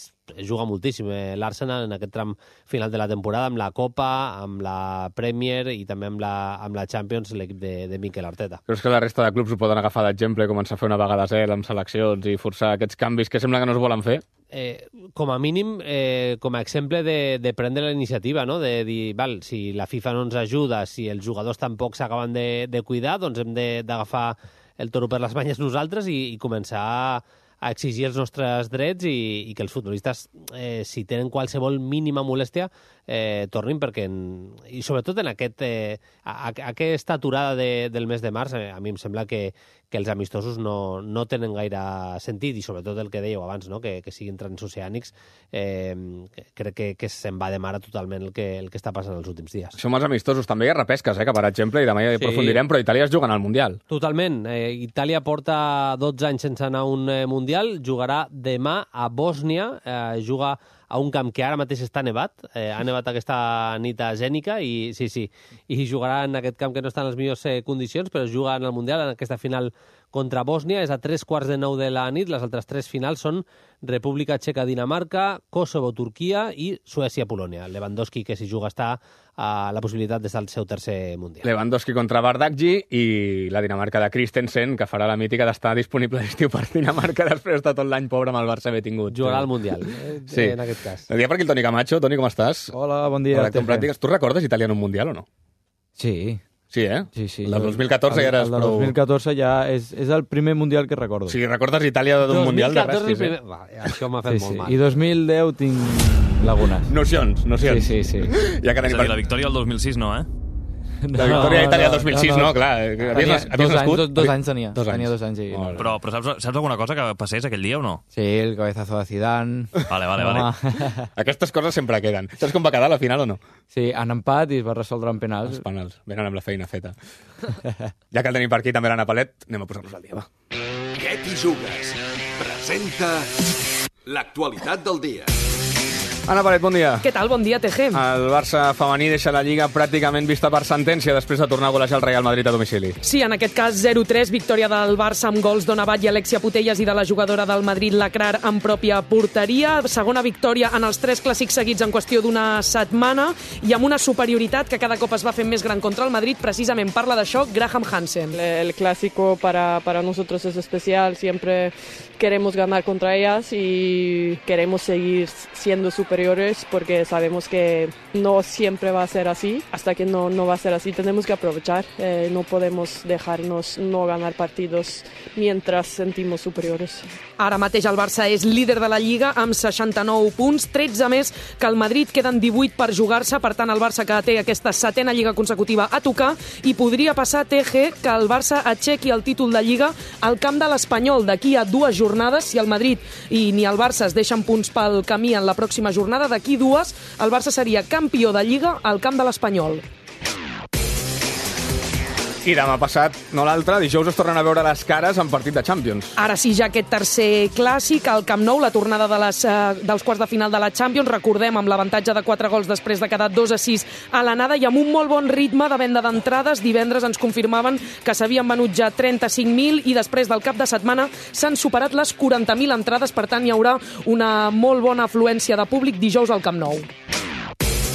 Juga moltíssim eh, l'Arsenal en aquest tram final de la temporada, amb la Copa, amb la Premier i també amb la, amb la Champions, l'equip de, de Mikel Arteta. Creus que la resta de clubs ho poden agafar d'exemple, començar a fer una vaga de zel amb seleccions i forçar aquests canvis que sembla que no es volen fer? Eh, com a mínim, eh, com a exemple de, de prendre la iniciativa, no? De dir, val, si la FIFA no ens ajuda, si els jugadors tampoc s'acaben de, de cuidar, doncs hem d'agafar el toro per les banyes nosaltres i, i començar a, a exigir els nostres drets i, i que els futbolistes, eh, si tenen qualsevol mínima molèstia, eh, tornin, perquè, en, i sobretot en aquest, eh, a, a aquesta aturada de, del mes de març, eh, a mi em sembla que, que els amistosos no, no tenen gaire sentit, i sobretot el que dèieu abans, no? que, que siguin transoceànics, eh, crec que, que se'n va de mare totalment el que, el que està passant els últims dies. Som els amistosos, també hi ha repesques, eh, que per exemple, i demà ja hi sí. aprofundirem, però Itàlia es juguen al Mundial. Totalment. Eh, Itàlia porta dotze anys sense anar a un eh, Mundial, jugarà demà a Bòsnia, eh, juga a un camp que ara mateix està nevat, eh, ha nevat aquesta nit a Zènica, i sí, sí, i jugarà en aquest camp que no està en les millors eh, condicions, però juga en el Mundial, en aquesta final contra Bòsnia, és a tres quarts de nou de la nit. Les altres tres finals són República Txeca-Dinamarca, Kosovo-Turquia i Suècia-Polònia. Lewandowski, que si juga, està a la possibilitat d'estar al seu tercer Mundial. Lewandowski contra Bardakji i la Dinamarca de Christensen, que farà la mítica d'estar disponible l'estiu per Dinamarca després de tot l'any pobre amb el Barça haver tingut. Jugarà al Mundial, eh, sí. en aquest cas. El dia per aquí el Toni Camacho. Toni, com estàs? Hola, bon dia. Tu recordes Itàlia en un Mundial o no? Sí. Sí, eh? Sí, sí. El del dos mil catorze ja eres prou... El del prou... dos mil catorze ja és, és el primer Mundial que recordo. Si recordes Itàlia d'un Mundial de res, primer... Va, això m'ha fet sí, molt sí. mal. I dos mil deu tinc lagunes. Nocions, nocions. Sí, sí, sí. Ja que és a dir, la victòria del dos mil sis no, eh? La victòria d'Itàlia del dos mil sis, no, no, no clar. Tenia, havies, havies dos, nascut? anys, dos, dos anys tenia. Dos anys. Tenia dos anys, sí. Oh, però, però saps, saps alguna cosa que passés aquell dia o no? Sí, el cabezazo de Zidane. Vale, vale, vale. Aquestes coses sempre queden. Saps com va quedar la final o no? Sí, en empat i es va resoldre en penals. Els penals. Venen amb la feina feta. Ja que el tenim per aquí també l'Anna Palet, anem a posar-nos al dia, va. Què t'hi jugues? Presenta l'actualitat del dia. Anna Palet, bon dia. Què tal? Bon dia, T G. El Barça femení deixa la Lliga pràcticament vista per sentència després de tornar a golejar el Real Madrid a domicili. Sí, en aquest cas zero tres, victòria del Barça amb gols d'Onabat i Alexia Putellas i de la jugadora del Madrid, Lacrar, en pròpia porteria. Segona victòria en els tres clàssics seguits en qüestió d'una setmana i amb una superioritat que cada cop es va fent més gran contra el Madrid. Precisament parla d'això Graham Hansen. El clásico para, para nosotros es especial, siempre queremos ganar contra ellas y queremos seguir siendo superiores porque sabemos que no siempre va a ser así. Hasta que no, no va a ser así tenemos que aprovechar, eh, no podemos dejarnos no ganar partidos mientras sentimos superiores. Ara mateix el Barça és líder de la Lliga amb seixanta-nou punts, tretze més que el Madrid, queden divuit per jugar-se, per tant el Barça que té aquesta setena Lliga consecutiva a tocar i podria passar, T G, que el Barça aixequi el títol de Lliga al camp de l'Espanyol d'aquí a dues jornades. Si el Madrid i ni el Barça es deixen punts pel camí en la pròxima jornada, d'aquí dues el Barça seria campió de Lliga al camp de l'Espanyol. I demà passat, no l'altre, dijous es tornen a veure les cares en partit de Champions. Ara sí, ja aquest tercer clàssic, al Camp Nou, la tornada de les, uh, dels quarts de final de la Champions, recordem, amb l'avantatge de quatre gols després de quedar dos a sis a l'anada i amb un molt bon ritme de venda d'entrades. Divendres ens confirmaven que s'havien venut ja trenta-cinc mil i després del cap de setmana s'han superat les quaranta mil entrades, per tant hi haurà una molt bona afluència de públic dijous al Camp Nou.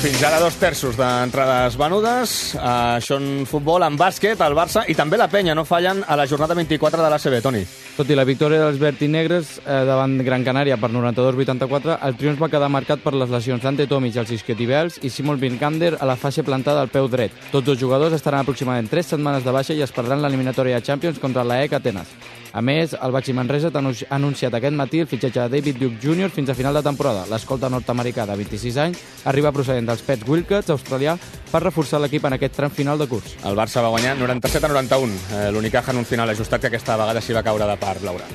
Fins ara dos terços d'entrades venudes. Uh, això en futbol, en bàsquet, el Barça i també la Penya no fallen a la jornada vint-i-quatre de l'A C B, Toni. Tot i la victòria dels vertinegres eh, davant Gran Canària per noranta-dos a vuitanta-quatre, el triomf va quedar marcat per les lesions d'Ante Tomic als isquiotibials i Simon Vincander a la faixa plantada al peu dret. Tots dos jugadors estaran aproximadament tres setmanes de baixa i es perdran l'eliminatòria de Champions contra l'A E C Atenes. A més, el Baxi Manresa ha anunciat aquest matí el fitxatge de David Duke júnior fins a final de temporada. L'escolta nord-americà de vint-i-sis anys arriba procedent dels Pets Wildcats, australià, per reforçar l'equip en aquest tram final de curs. El Barça va guanyar noranta-set a noranta-un. Eh, L'Unicaja en un final ajustat que aquesta vegada s'hi va caure de part, Laura.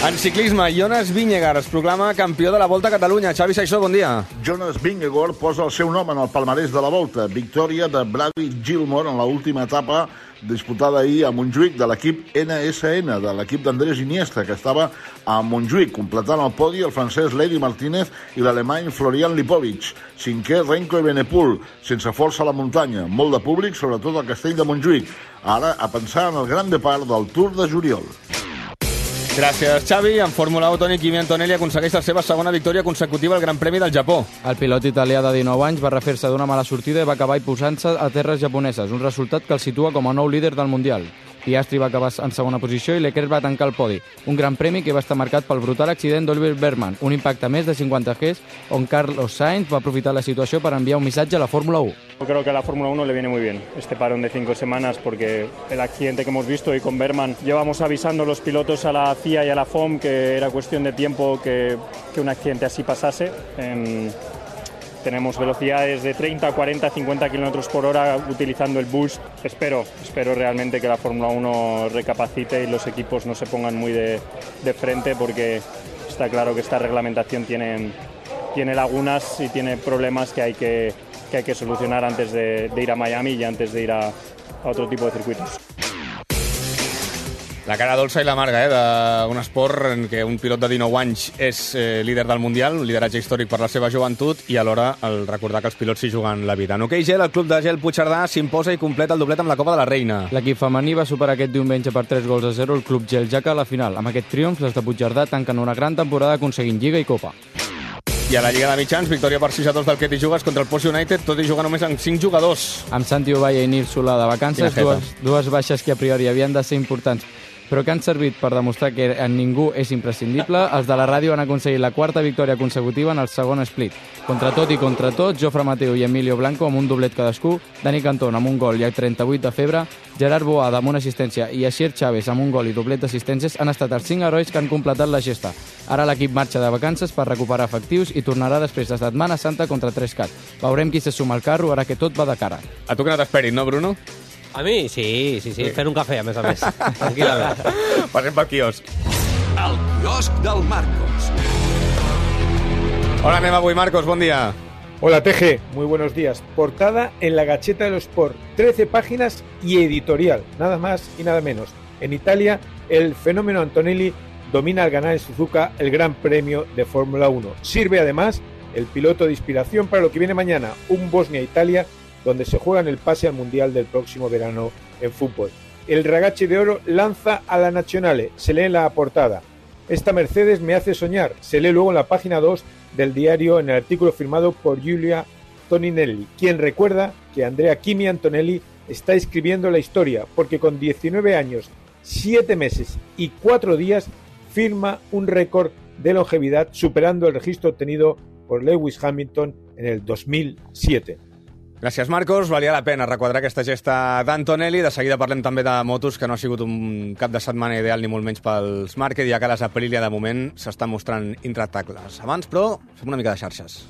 En ciclisme, Jonas Vingegaard es proclama campió de la Volta a Catalunya. Xavi Saissó, bon dia. Jonas Vingegaard posa el seu nom en el palmarès de la Volta. Victòria de Brady Gilmore en l'última etapa disputada ahir a Montjuïc de l'equip N S N, de l'equip d'Andrés Iniesta, que estava a Montjuïc, completant el podi el francès Lady Martínez i l'alemany Florian Lipovic. Cinquè, Renko Evenepoel, sense força a la muntanya. Molt de públic, sobretot al castell de Montjuïc. Ara, a pensar en el gran depart del Tour de juliol. Gràcies, Xavi. En Fórmula u, Toni, Kimi Antonelli aconsegueix la seva segona victòria consecutiva al Gran Premi del Japó. El pilot italià de dinou anys va refer-se d'una mala sortida i va acabar posant-se a terres japoneses, un resultat que el situa com a nou líder del Mundial. Piastri va acabar en segona posició i Leclerc va tancar el podi. Un gran premi que va estar marcat pel brutal accident d'Oliver Bergman, un impacte més de cinquanta Gs, on Carlos Sainz va aprofitar la situació per enviar un missatge a la Fórmula u. Yo creo que a la Fórmula uno le viene muy bien este parón de cinco semanas porque el accidente que hemos visto y con Bergman llevamos avisando a los pilotos a la C I A y a la F O M que era cuestión de tiempo que, que un accidente así pasase. Eh, tenemos velocidades de treinta, cuarenta, cincuenta kilómetros por hora utilizando el boost. Espero, espero realmente que la Fórmula uno recapacite y los equipos no se pongan muy de, de frente porque está claro que esta reglamentación tiene, tiene lagunas y tiene problemas que hay que que hay que solucionar antes de, de ir a Miami y antes de ir a, a otro tipo de circuitos. La cara dolça i l'amarga, eh, d'un esport en què un pilot de dinou anys és eh, líder del Mundial, un lideratge històric per la seva joventut i alhora el recordar que els pilots s'hi juguen la vida. En hoquei gel, el club de gel Puigcerdà s'imposa i completa el doblet amb la Copa de la Reina. L'equip femení va superar aquest diumenge per tres gols a zero el club gel Jaca a la final. Amb aquest triomf, les de Puigcerdà tanquen una gran temporada aconseguint Lliga i Copa. I a la Lliga de Mitjans, victòria per sis a dos del Ketty Jugues contra el Post United, tot i jugar només amb cinc jugadors. Amb Santi Ovalla i Nil Solà de vacances, dues, dues baixes que a priori havien de ser importants, però que han servit per demostrar que en ningú és imprescindible. Els de la ràdio han aconseguit la quarta victòria consecutiva en el segon split. Contra tot i contra tot, Jofre Mateu i Emilio Blanco amb un doblet cadascú, Dani Cantón amb un gol i el trenta-vuit de febre, Gerard Boada amb una assistència i Asier Chávez amb un gol i doblet d'assistències han estat els cinc herois que han completat la gesta. Ara l'equip marxa de vacances per recuperar efectius i tornarà després de Setmana Santa contra tres cat. Veurem qui se suma al carro ara que tot va de cara. A tu que no t'esperin, no, Bruno? A mi, sí, sí, sí, fent un cafè, a més a més. Tranquil·lament. Passem pel quiosc. El quiosc del Marcos. Hola, anem avui, Marcos, bon dia. Hola, T G, muy buenos días. Portada en la Gacheta de los Sport, trece páginas y editorial, nada más y nada menos. En Italia, el fenómeno Antonelli domina al ganar en Suzuka el Gran Premio de Fórmula uno. Sirve además el piloto de inspiración para lo que viene mañana, un Bosnia-Italia, donde se juegan el pase al Mundial del próximo verano en fútbol. El Ragazzi de Oro lanza a la Nazionale, se lee en la portada. Esta Mercedes me hace soñar, se lee luego en la página dos del diario en el artículo firmado por Giulia Toninelli, quien recuerda que Andrea Kimi Antonelli está escribiendo la historia, porque con diecinueve años, siete meses y cuatro días firma un récord de longevidad superando el registro obtenido por Lewis Hamilton en el dos mil siete. Gràcies, Marcos. Valia la pena requadrar aquesta gesta d'Antonelli. De seguida parlem també de motos, que no ha sigut un cap de setmana ideal ni molt menys pels Márquez, ja que les Aprilia de moment s'estan mostrant intractables. Abans, però, fem una mica de xarxes.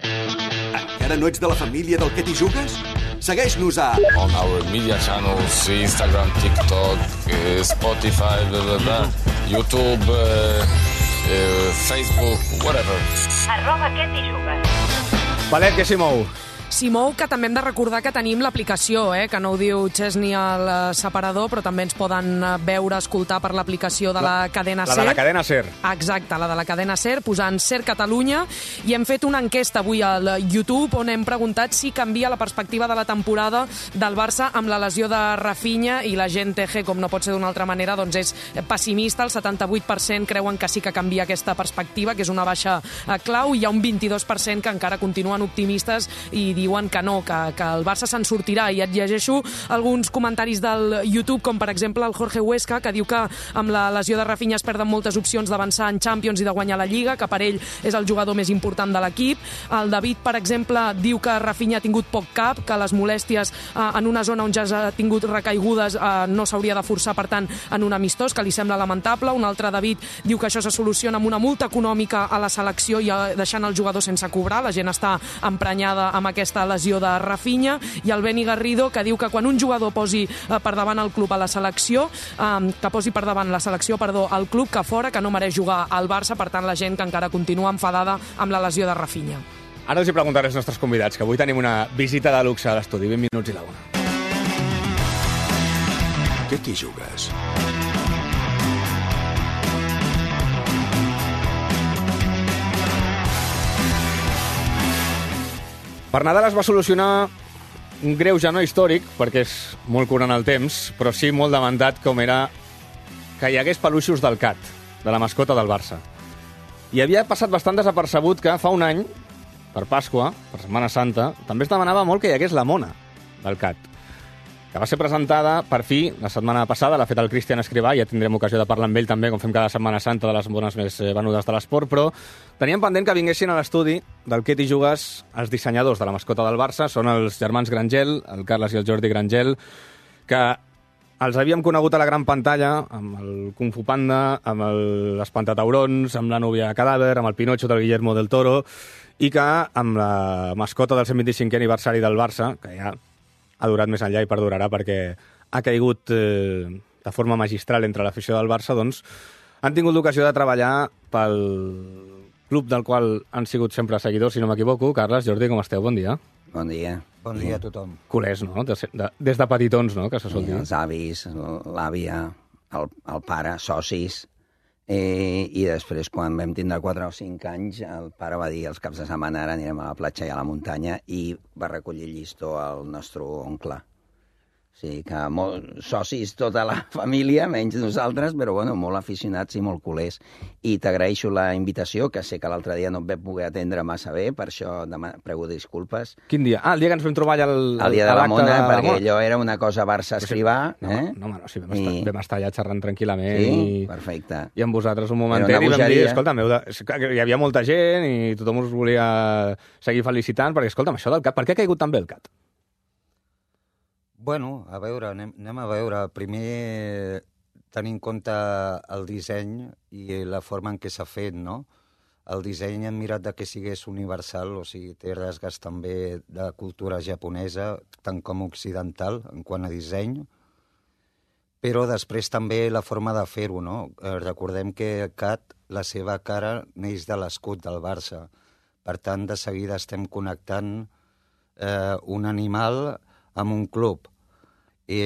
Encara no ets de la família del Ketty Jugues? Segueix-nos a... On our media channels, Instagram, TikTok, Spotify, blah, blah, blah, YouTube, uh, uh, Facebook, whatever. Arroba Ketty Jugues. Valet, què s'hi mou? Simou, que també hem de recordar que tenim l'aplicació, eh? Que no ho diu Chesney al separador, però també ens poden veure, escoltar per l'aplicació de la, la cadena la SER. La de la cadena SER. Exacte, la de la cadena SER, posant SER Catalunya, i hem fet una enquesta avui al YouTube on hem preguntat si canvia la perspectiva de la temporada del Barça amb la lesió de Rafinha, i la gent T G, com no pot ser d'una altra manera, doncs és pessimista. El setanta-vuit per cent creuen que sí que canvia aquesta perspectiva, que és una baixa clau, i hi ha un vint-i-dos per cent que encara continuen optimistes i diuen que no, que, que el Barça se'n sortirà. I et llegeixo alguns comentaris del YouTube, com per exemple el Jorge Huesca, que diu que amb la lesió de Rafinha es perden moltes opcions d'avançar en Champions i de guanyar la Lliga, que per ell és el jugador més important de l'equip. El David, per exemple, diu que Rafinha ha tingut poc cap, que les molèsties eh, en una zona on ja ha tingut recaigudes eh, no s'hauria de forçar, per tant, en un amistós, que li sembla lamentable. Un altre David diu que això se soluciona amb una multa econòmica a la selecció i deixant el jugador sense cobrar. La gent està emprenyada amb aquesta lesió de Rafinha. I el Beni Garrido, que diu que quan un jugador posi eh, per davant el club a la selecció, eh, que posi per davant la selecció, perdó, el club, que fora, que no mereix jugar al Barça. Per tant, la gent que encara continua enfadada amb la lesió de Rafinha. Ara els hi preguntaré als nostres convidats, que avui tenim una visita de luxe a l'estudi. vint minuts i la una. Què t'hi jugues? Per Nadal es va solucionar un greuge no històric, perquè és molt curant el temps, però sí molt demandat, com era que hi hagués peluixos del Cat, de la mascota del Barça. I havia passat bastant desapercebut que fa un any, per Pasqua, per Setmana Santa, també es demanava molt que hi hagués la mona del Cat, que va ser presentada, per fi, la setmana passada. L'ha fet el Cristian Escrivà, ja tindrem ocasió de parlar amb ell també, com fem cada Setmana Santa, de les mones més venudes de l'esport, però teníem pendent que vinguessin a l'estudi del Què t'hi jugues els dissenyadors de la mascota del Barça. Són els germans Grangel, el Carles i el Jordi Grangel, que els havíem conegut a la gran pantalla, amb el Kung Fu Panda, amb l'Espantataurons, amb la núvia Cadàver, amb el Pinocho del Guillermo del Toro, i que amb la mascota del cent vint-i-cinquè aniversari del Barça, que ja ha durat més enllà i perdurarà perquè ha caigut eh, de forma magistral entre l'afició del Barça, doncs han tingut l'ocasió de treballar pel club del qual han sigut sempre seguidors, si no m'equivoco. Carles, Jordi, com esteu? Bon dia. Bon dia. Bon dia a tothom. Culers, no? De, de, des de petitons, no?, que se sol dir. Els avis, l'àvia, el, el pare, socis. Eh, I després, quan vam tindre quatre o cinc anys, el pare va dir els caps de setmana ara anirem a la platja i a la muntanya, i va recollir llistó al nostre oncle. O sigui que molt, socis tota la família, menys nosaltres, però bueno, molt aficionats i molt culers. I t'agraeixo la invitació, que sé que l'altre dia no et vam poder atendre massa bé, per això demà, prego disculpes. Quin dia? Ah, el dia que ens vam trobar allà al, el dia de la Mona, de perquè la allò era una cosa Barça-Escrivà. No, eh? no, no, no, sí, vam, I... estar, vam estar allà xerrant tranquil·lament. Sí? I... Perfecte. I amb vosaltres un momentet i vam dir, escolta, meu, hi havia molta gent i tothom us volia seguir felicitant, perquè, escolta'm, això del Cat, per què ha caigut tan bé el Cat? Bueno, a veure, anem, anem a veure. Primer, tenir en compte el disseny i la forma en què s'ha fet, no? El disseny hem mirat de que sigués universal, o sigui, té rasgues també de cultura japonesa, tant com occidental, en quant a disseny, però després també la forma de fer-ho, no? Eh, recordem que el Cat, la seva cara, neix de l'escut del Barça. Per tant, de seguida estem connectant eh, un animal amb un club. I,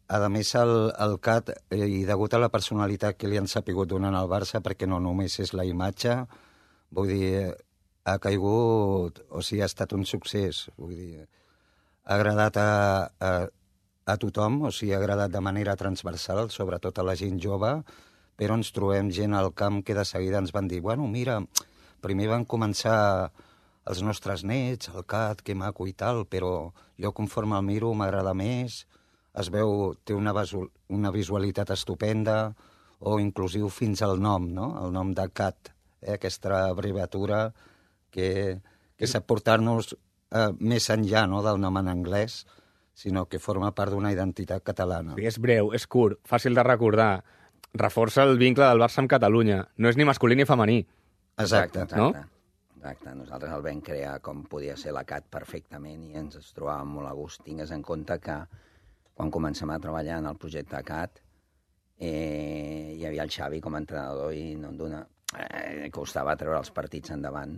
a més, el, el Cat, eh, i degut a la personalitat que li han sapigut donar al Barça, perquè no només és la imatge, vull dir, ha caigut, o sigui, ha estat un succés. Vull dir, ha agradat a, a, a tothom, o sigui, ha agradat de manera transversal, sobretot a la gent jove, però ens trobem gent al camp que de seguida ens van dir, bueno, mira, primer van començar els nostres nets, el Cat, que maco i tal, però jo conforme el miro m'agrada més, es veu, té una, una visualitat estupenda, o inclusiu fins al nom, no? El nom de Cat, eh? Aquesta abreviatura que, que sap portar-nos eh, més enllà, no?, del nom en anglès, sinó que forma part d'una identitat catalana. Sí, és breu, és curt, fàcil de recordar, reforça el vincle del Barça amb Catalunya, no és ni masculí ni femení. Exacte, exacte. No? Exacte, nosaltres el vam crear com podia ser la Cat perfectament i ens es trobàvem molt a gust. Tingues en compte que quan comencem a treballar en el projecte Cat eh, hi havia el Xavi com a entrenador i no em dona... Eh, costava treure els partits endavant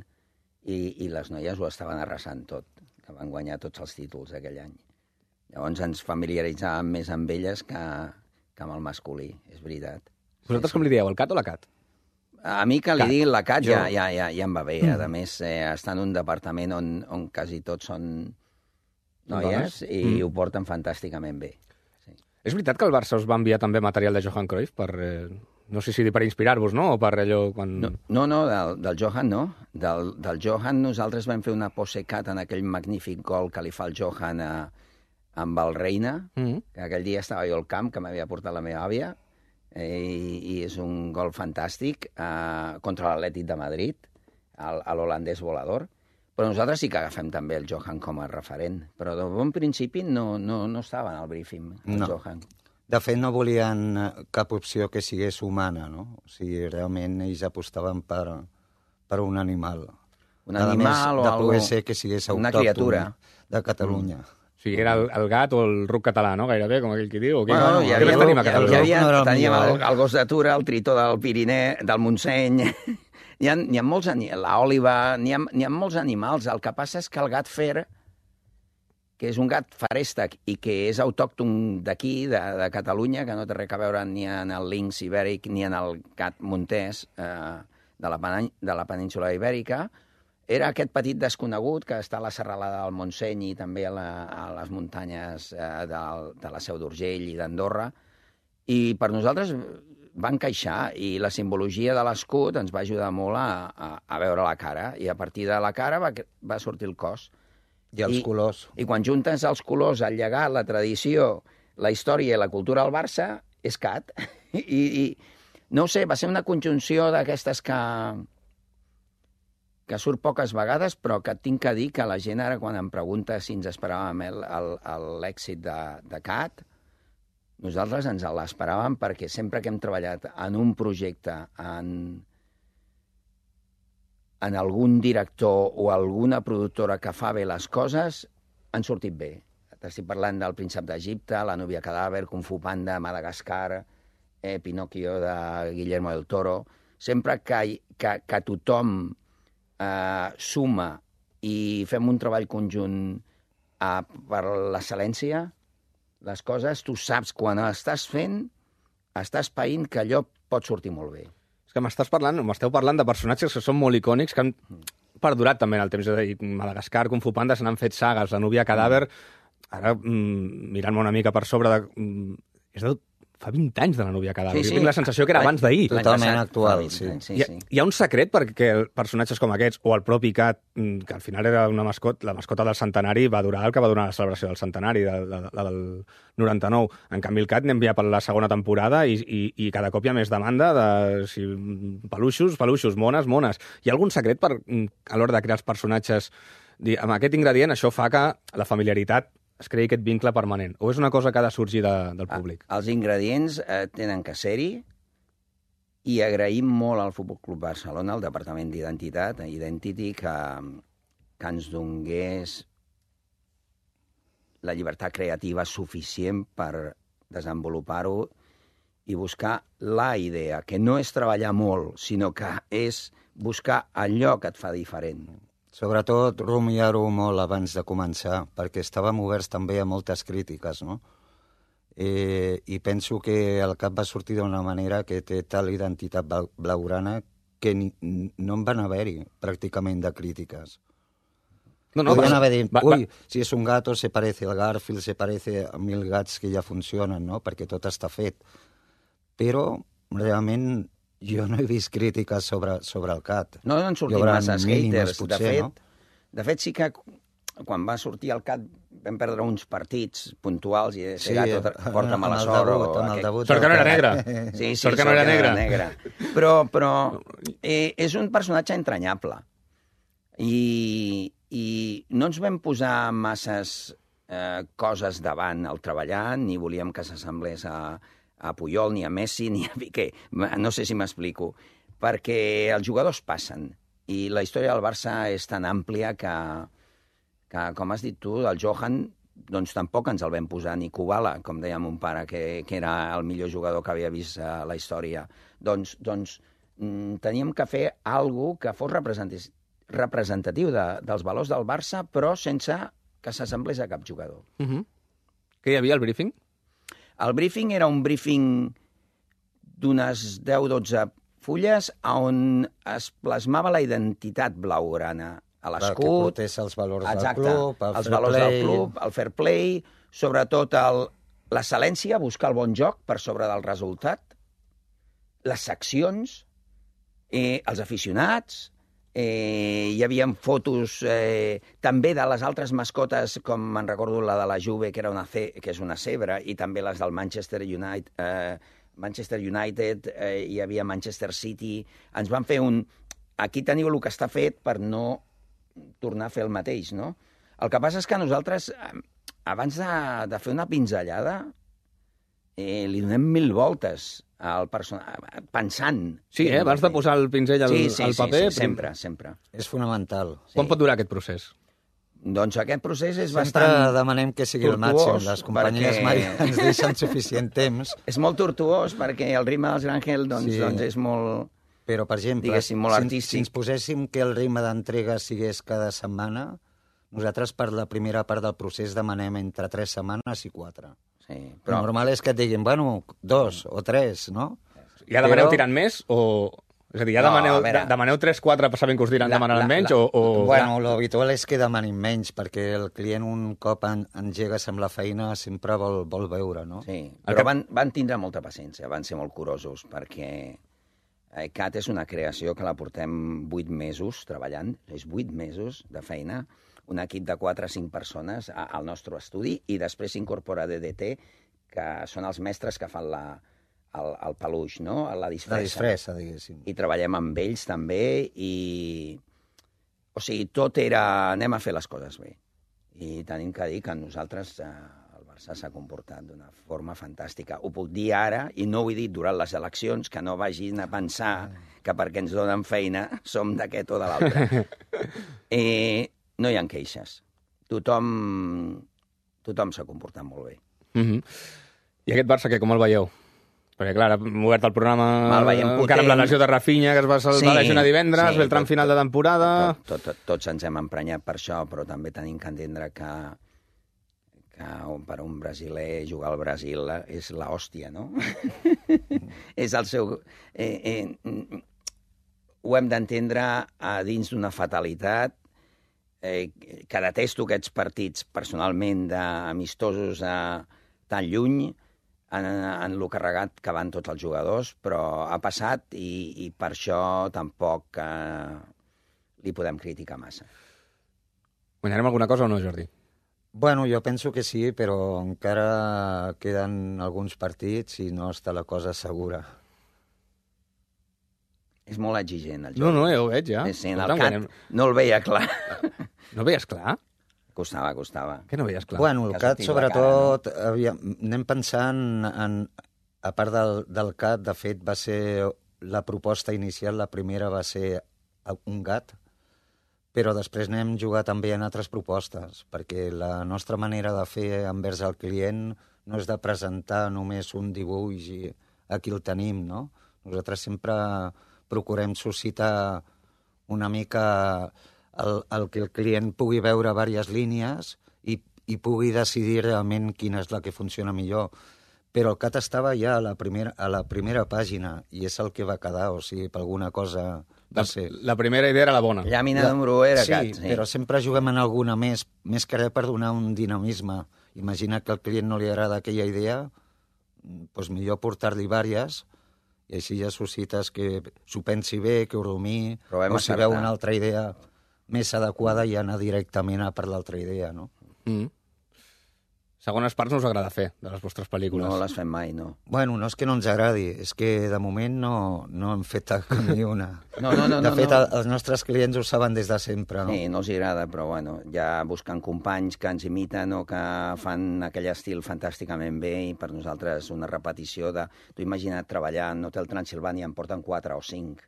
i, i les noies ho estaven arrasant tot. que van guanyar tots els títols aquell any. Llavors ens familiaritzàvem més amb elles que, que amb el masculí, és veritat. Vosaltres com li dieu, el Cat o la Cat? A mi que li Cat. diguin la Cat Jo- ja, ja, ja, ja em va bé. Mm. A més, eh, està en un departament on, on quasi tots són noies Dones? i Mm. ho porten fantàsticament bé. És veritat que el Barça us va enviar també material de Johan Cruyff per, eh, no sé si dir per inspirar-vos, no? O per allò quan... No, no, no del, del Johan no. Del, del Johan nosaltres vam fer una pose cat en aquell magnífic gol que li fa el Johan a, amb el Reina, Mm. que aquell dia estava jo al camp, que m'havia portat la meva àvia, eh, i, i és un gol fantàstic eh, contra l'Atlètic de Madrid, el- a l'holandès volador. Però nosaltres sí que agafem també el Johan com a referent. Però de bon principi no, no, no estava en el briefing, el No. Johan. De fet, no volien eh, cap opció que sigués humana, no? O sigui, realment ells apostaven per, per un animal. Un A animal més, o de algo- poder ser que sigués una autòcton criatura. de Catalunya. Mm. O sigui, era el, el gat o el ruc català, no? Gairebé, com aquell que diu. O què? Bueno, hi havia, Què més tenim a hi havia, Catalunya? hi havia, teníem el, millor, el gos d'atura, el tritó del Pirineu, del Montseny. N'hi ha, n'hi ha molts, ani- l'òliba, n'hi ha, n'hi ha molts animals. El que passa és que el gat fer, que és un gat farèstec i que és autòcton d'aquí, de, de Catalunya, que no té res a veure ni en el linx ibèric ni en el gat montés eh, de, la, Pen- de la península ibèrica, era aquest petit desconegut que està a la serralada del Montseny i també a, la, a les muntanyes eh, del, de la Seu d'Urgell i d'Andorra. I per nosaltres va encaixar i la simbologia de l'escut ens va ajudar molt a, a, a veure la cara. I a partir de la cara va, va sortir el cos. I els I, colors. I quan juntes els colors, el llegat, la tradició, la història i la cultura del Barça, és cat. I, i no ho sé, va ser una conjunció d'aquestes que que surt poques vegades, però que tinc que dir que la gent ara, quan em pregunta si ens esperàvem el- el- el- l'èxit de, de Cat, nosaltres ens l'esperàvem perquè sempre que hem treballat en un projecte, en, en algun director o alguna productora que fa bé les coses, han sortit bé. T'estic parlant del Príncep d'Egipte, La núvia cadàver, Kung Fu Panda, Madagascar, eh, Pinocchio de Guillermo del Toro. Sempre que, que, que tothom eh, suma i fem un treball conjunt eh, per l'excel·lència, les coses, tu saps quan estàs fent, estàs païnt que allò pot sortir molt bé. És que m'estàs parlant, m'esteu parlant de personatges que són molt icònics, que han perdurat també en el temps. És a dir, Madagascar, Kung Fu Panda, se n'han fet sagues, La núvia cadàver. Ara, mm, mirant-me una mica per sobre, de, mm, és de fa vint anys de La núvia cadàver. Sí, sí. Jo tinc la sensació que era abans d'ahir. Totalment actual, sí. Sí, Hi ha, sí. hi ha un secret perquè personatges com aquests, o el propi Cat, mm, que al final era una mascota, la mascota del centenari, va durar el que va durar la celebració del centenari, de, de, la del noranta-nou. En canvi, el Cat n'hem enviat per la segona temporada i, i, i cada cop hi ha més demanda de si, peluixos, peluixos, mones, mones. Hi ha algun secret per, mm, a l'hora de crear els personatges? Dir, amb aquest ingredient, això fa que la familiaritat es creï aquest vincle permanent. O és una cosa que ha de sorgir de, del públic? Els ingredients eh, tenen que ser-hi i agraïm molt al Futbol Club Barcelona, al Departament d'Identitat, Identity, que, que ens donés la llibertat creativa suficient per desenvolupar-ho i buscar la idea, que no és treballar molt, sinó que és buscar allò que et fa diferent. Sobretot rumiar-ho molt abans de començar, perquè estàvem oberts també a moltes crítiques, no? Eh, I penso que el cap va sortir d'una manera que té tal identitat blau- blaugrana que ni, no en van haver-hi pràcticament de crítiques. No, no, Podien va- haver dit, va- uy, va- si és un gato se parece al Garfield, se parece a mil gats que ja funcionen, no? Perquè tot està fet. Però realment jo no he vist crítiques sobre, sobre el cat. No han Hi sortit haurà masses mínimes, haters. potser, de, fet, no? de fet, sí que quan va sortir el Cat vam perdre uns partits puntuals i Sí, sí, gato amb porta el mala sort. debut, o amb el aquest- debut Sort que no era negra. Sí, sí, Sort que no era negra. negra. Però, però eh, és un personatge entranyable. I, I no ens vam posar masses eh, coses davant al treballar, ni volíem que s'assemblés a, a Puyol, ni a Messi, ni a Piqué. No sé si m'explico. Perquè els jugadors passen. I la història del Barça és tan àmplia que, que com has dit tu, el Johan, doncs tampoc ens el vam posar ni Kubala, com deia mon pare, que, que era el millor jugador que havia vist a la història. Doncs, doncs mm, teníem que fer alguna que fos representatiu, representatiu de, dels valors del Barça, però sense que s'assemblés a cap jugador. Uh -huh. Què hi havia al briefing? El briefing era un briefing d'unes deu dotze fulles on es plasmava la identitat blaugrana a l'escut. Que portés els valors exacte, del club, el els fair valors play. del club, el fair play, sobretot el, l'excel·lència, buscar el bon joc per sobre del resultat, les seccions, eh, els aficionats, eh, hi havia fotos eh, també de les altres mascotes, com me'n recordo la de la Juve, que, era una ce, que és una zebra, i també les del Manchester United, eh, Manchester United, eh, hi havia Manchester City. Ens van fer un... Aquí teniu el que està fet per no tornar a fer el mateix, no? El que passa és que nosaltres, abans de, de fer una pinzellada, eh, li donem mil voltes al personal, pensant... Sí, eh? Abans de posar el pinzell al, sí, sí, al paper... Sí, sí, sempre, sempre. És fonamental. Sí. Quan pot durar aquest procés? Doncs aquest procés és Sempre bastant... Sempre demanem que sigui el màxim. Les companyies perquè... mai ens deixen suficient temps. És molt tortuós perquè el ritme dels Grangel doncs, Sí. doncs és molt... Però, per exemple, diguéssim, molt si, artístic. si ens poséssim que el ritme d'entrega sigués cada setmana, nosaltres per la primera part del procés demanem entre tres setmanes i quatre. Sí, però... El normal és que et diguin, bueno, dos o tres, no? Ja demaneu però... tirant més o... És a dir, ja No, demaneu, a veure. demaneu tres quatre sabent que us diran La- demanaran la- menys la- o... o... Bueno, l'habitual és que demanin menys, perquè el client un cop en, engegues amb la feina sempre vol, vol veure, no? Sí, però van, van tindre molta paciència, van ser molt curosos, perquè eh, C A T és una creació que la portem vuit mesos treballant, és vuit mesos de feina, un equip de quatre o cinc persones a, al nostre estudi, i després s'incorpora D D T, que són els mestres que fan la, el, el peluix, no? La disfressa. La disfressa, diguéssim. I treballem amb ells també, i... O sigui, tot era... Anem a fer les coses bé. I tenim que dir que nosaltres... Eh, Barça s'ha comportat d'una forma fantàstica. Ho puc dir ara, i no ho he dit durant les eleccions, que no vagin a pensar que perquè ens donen feina som d'aquest o de l'altre. eh, no hi ha queixes. Tothom, tothom s'ha comportat molt bé. Mm -hmm. I aquest Barça, que com el veieu? Perquè, clar, hem obert el programa El veiem encara potent. amb la lesió de Rafinha, que es va salvar Sí, sí, lesionar divendres, sí, ve el tram tot- final de temporada... Tot, tot, tots ens hem emprenyat per això, però també tenim que entendre que, que per un brasiler jugar al Brasil és l'hòstia, no? És el seu... Eh, eh, ho hem d'entendre a dins d'una fatalitat, eh, que detesto aquests partits personalment d'amistosos a tan lluny, en, en lo carregat que van tots els jugadors, però ha passat i, i per això tampoc eh, li podem criticar massa. Guanyarem alguna cosa o no, Jordi? Bueno, jo penso que sí, però encara queden alguns partits i no està la cosa segura. És molt exigent, el Jordi. No, no, ja ho veig, ja. Sí, sí, en Escolta, el cat guanyem. no el veia clar. No veies clar? Costava, costava. Què no veies clar? Bueno, el Que C A T, sortit la sobretot, cara, no? havia, anem pensant en... A part del, del C A T, de fet, va ser la proposta inicial, la primera va ser un gat, però després n'hem jugat també en altres propostes, perquè la nostra manera de fer envers el client no és de presentar només un dibuix i aquí el tenim, no? Nosaltres sempre procurem suscitar una mica el, el que el client pugui veure diverses línies i, i pugui decidir realment quina és la que funciona millor. Però el C A T estava ja a la primera, a la primera pàgina i és el que va quedar, o sigui, per alguna cosa va ser. La primera idea era la bona. Llàmina la... número era sí, C A T. Sí, però sempre juguem en alguna més, més que res per donar un dinamisme. Imagina que al client no li agrada aquella idea, doncs millor portar-li diverses i així ja suscites que s'ho pensi bé, que ho rumí, o si veu una altra idea més adequada i anar directament a per l'altra idea, no? Mm. Segones parts no us agrada fer, de les vostres pel·lícules. No les fem mai, no. Bueno, no és que no ens agradi, és que de moment no, no hem fet ni una. No, no, no, de no, fet, no. els nostres clients ho saben des de sempre, no? Sí, no els agrada, però bueno, ja busquen companys que ens imiten o que fan aquell estil fantàsticament bé i per nosaltres una repetició de... Tu imagina't treballar en Hotel Transilvània, en porten quatre o cinc.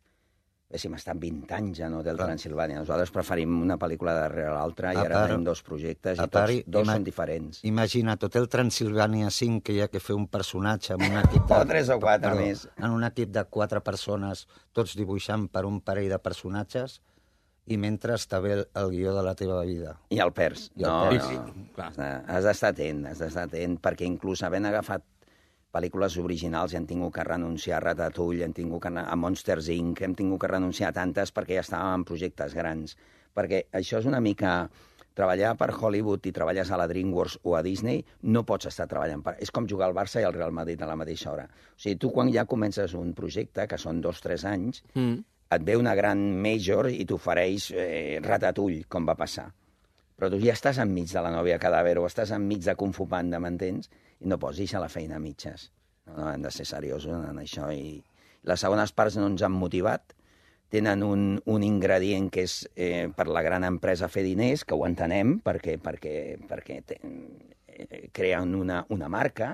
Héssim estat vint anys en Hotel Transilvània. Nosaltres preferim una pel·lícula darrere l'altra i A ara part- tenim dos projectes i a part, tots dos ima- són diferents. Imagina't, Hotel Transilvània cinc, que hi ha que fer un personatge amb un equip de... O tres o quatre perdó, més. En un equip de quatre persones, tots dibuixant per un parell de personatges, i mentre està bé el, el guió de la teva vida. I el perds. I el no, perds. no. Clar. Has d'estar atent, has d'estar atent, perquè inclús havent agafat pel·lícules originals i hem tingut que renunciar a Ratatouille, hem tingut que a Monsters incorporated, hem tingut que renunciar a tantes perquè ja estàvem en projectes grans. Perquè això és una mica... Treballar per Hollywood i treballes a la DreamWorks o a Disney, no pots estar treballant per... És com jugar al Barça i al Real Madrid a la mateixa hora. O sigui, tu quan ja comences un projecte, que són dos o tres anys, mm. et ve una gran major i t'ofereix eh, Ratatouille, com va passar. Però tu ja estàs enmig de la nòvia cadàver o estàs enmig de Kung Fu Panda, m'entens? I no pots deixar la feina a mitges. No, no, hem de ser seriosos en això. I les segones parts no ens han motivat, tenen un, un ingredient que és eh, per la gran empresa fer diners, que ho entenem, perquè, perquè, perquè te, eh, creen una, una marca,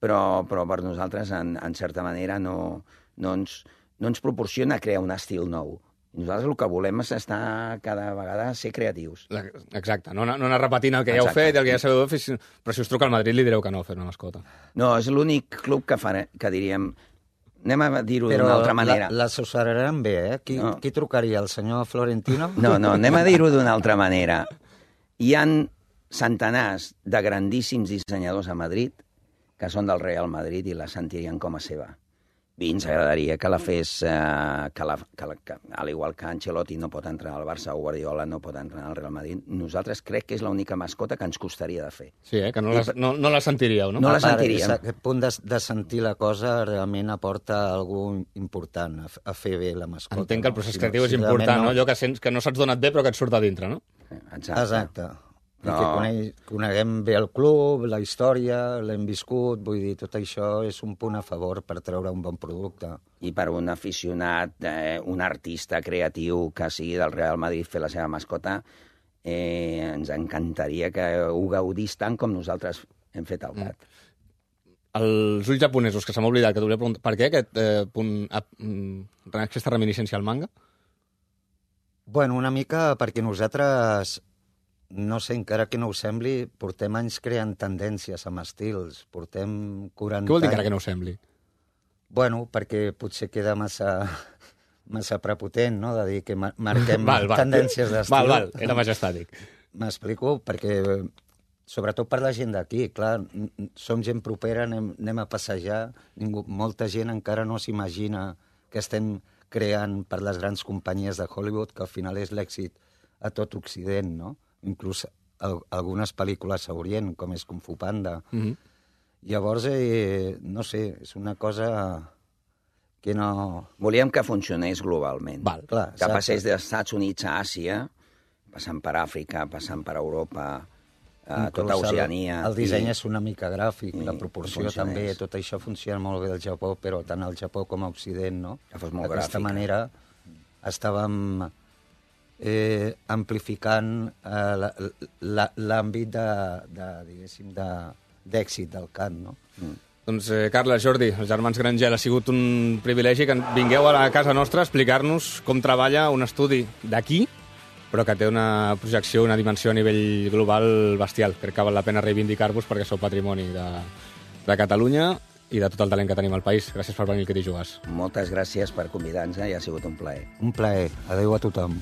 però, però per nosaltres, en, en certa manera, no, no, ens, no ens proporciona crear un estil nou. Nosaltres el que volem és estar cada vegada ser creatius. Exacte, no, no anar repetint el que Exacte. ja heu fet, el que ja sabeu fer, però si us truca al Madrid li direu que no, fer una mascota. No, és l'únic club que, faré, que diríem... Anem a dir-ho d'una altra manera. Però l'assessorarem bé, eh? Qui, no. qui trucaria, el senyor Florentino? No, no, anem a dir-ho d'una altra manera. Hi han centenars de grandíssims dissenyadors a Madrid que són del Real Madrid i la sentirien com a seva. I ens agradaria que la fes, eh, que la, que la, que, al igual que Ancelotti no pot entrar al Barça o Guardiola no pot entrar al Real Madrid, nosaltres crec que és l'única mascota que ens costaria de fer. Sí, eh? que no la, no, no la sentiríeu, no? No la sentiríem. Aquest punt de, de sentir la cosa realment aporta algú important a, a fer bé la mascota. Entenc que el procés creatiu no? és important, no? no? Allò que, sents, que no s'ha donat bé però que et surt a dintre, no? Exacte. Exacte. No. I que coneix, coneguem bé el club, la història, l'hem viscut, vull dir, tot això és un punt a favor per treure un bon producte. I per un aficionat, eh, un artista creatiu que sigui del Real Madrid fer la seva mascota, eh, ens encantaria que ho gaudís tant com nosaltres hem fet al gat. Mm. Els ulls japonesos, que se m'ha oblidat, que t'ho volia preguntar, per què aquest eh, punt, eh, aquesta reminiscència al manga? Bueno, una mica perquè nosaltres... No sé, encara que no ho sembli, portem anys creant tendències amb estils. Portem quaranta... Què vol dir encara que no ho sembli? Bueno, perquè potser queda massa, massa prepotent, no?, de dir que marquem val, val. tendències d'estil. Val, val, era majestàtic. M'explico? Perquè, sobretot per la gent d'aquí, clar, som gent propera, anem, anem a passejar, ningú, molta gent encara no s'imagina que estem creant per les grans companyies de Hollywood, que al final és l'èxit a tot Occident, no? Inclús el, algunes pel·lícules a Orient, com és Kung Fu Panda. Mm-hmm. Llavors, eh, no sé, és una cosa que no... Volíem que funcionés globalment. Val, clar, que passés dels Estats Units a Àsia, passant per Àfrica, passant per Europa, a tota Oceania... El, el disseny i... és una mica gràfic, i la proporció també, tot això funciona molt bé al Japó, però tant al Japó com a Occident, no? Que fos molt D'aquesta gràfica. manera estàvem... Eh, amplificant eh, l'àmbit de, de, diguéssim, de, d'èxit del cant, no? Mm. Doncs, eh, Carles, Jordi, els germans Grangel, ha sigut un privilegi que vingueu a la casa nostra a explicar-nos com treballa un estudi d'aquí, però que té una projecció, una dimensió a nivell global bestial. Crec que val la pena reivindicar-vos perquè sou patrimoni de, de Catalunya i de tot el talent que tenim al país. Gràcies per venir al Que t'hi jugues. Moltes gràcies per convidar-nos i ha sigut un plaer. Un plaer. Adéu a tothom.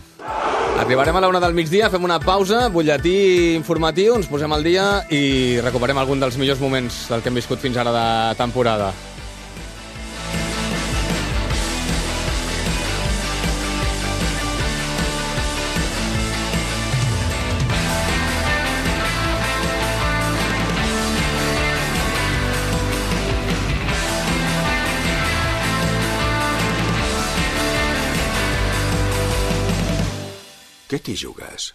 Arribarem a la una del migdia, fem una pausa, butlletí informatiu, ens posem al dia i recuperem algun dels millors moments del que hem viscut fins ara de temporada. Que t'hi jugues?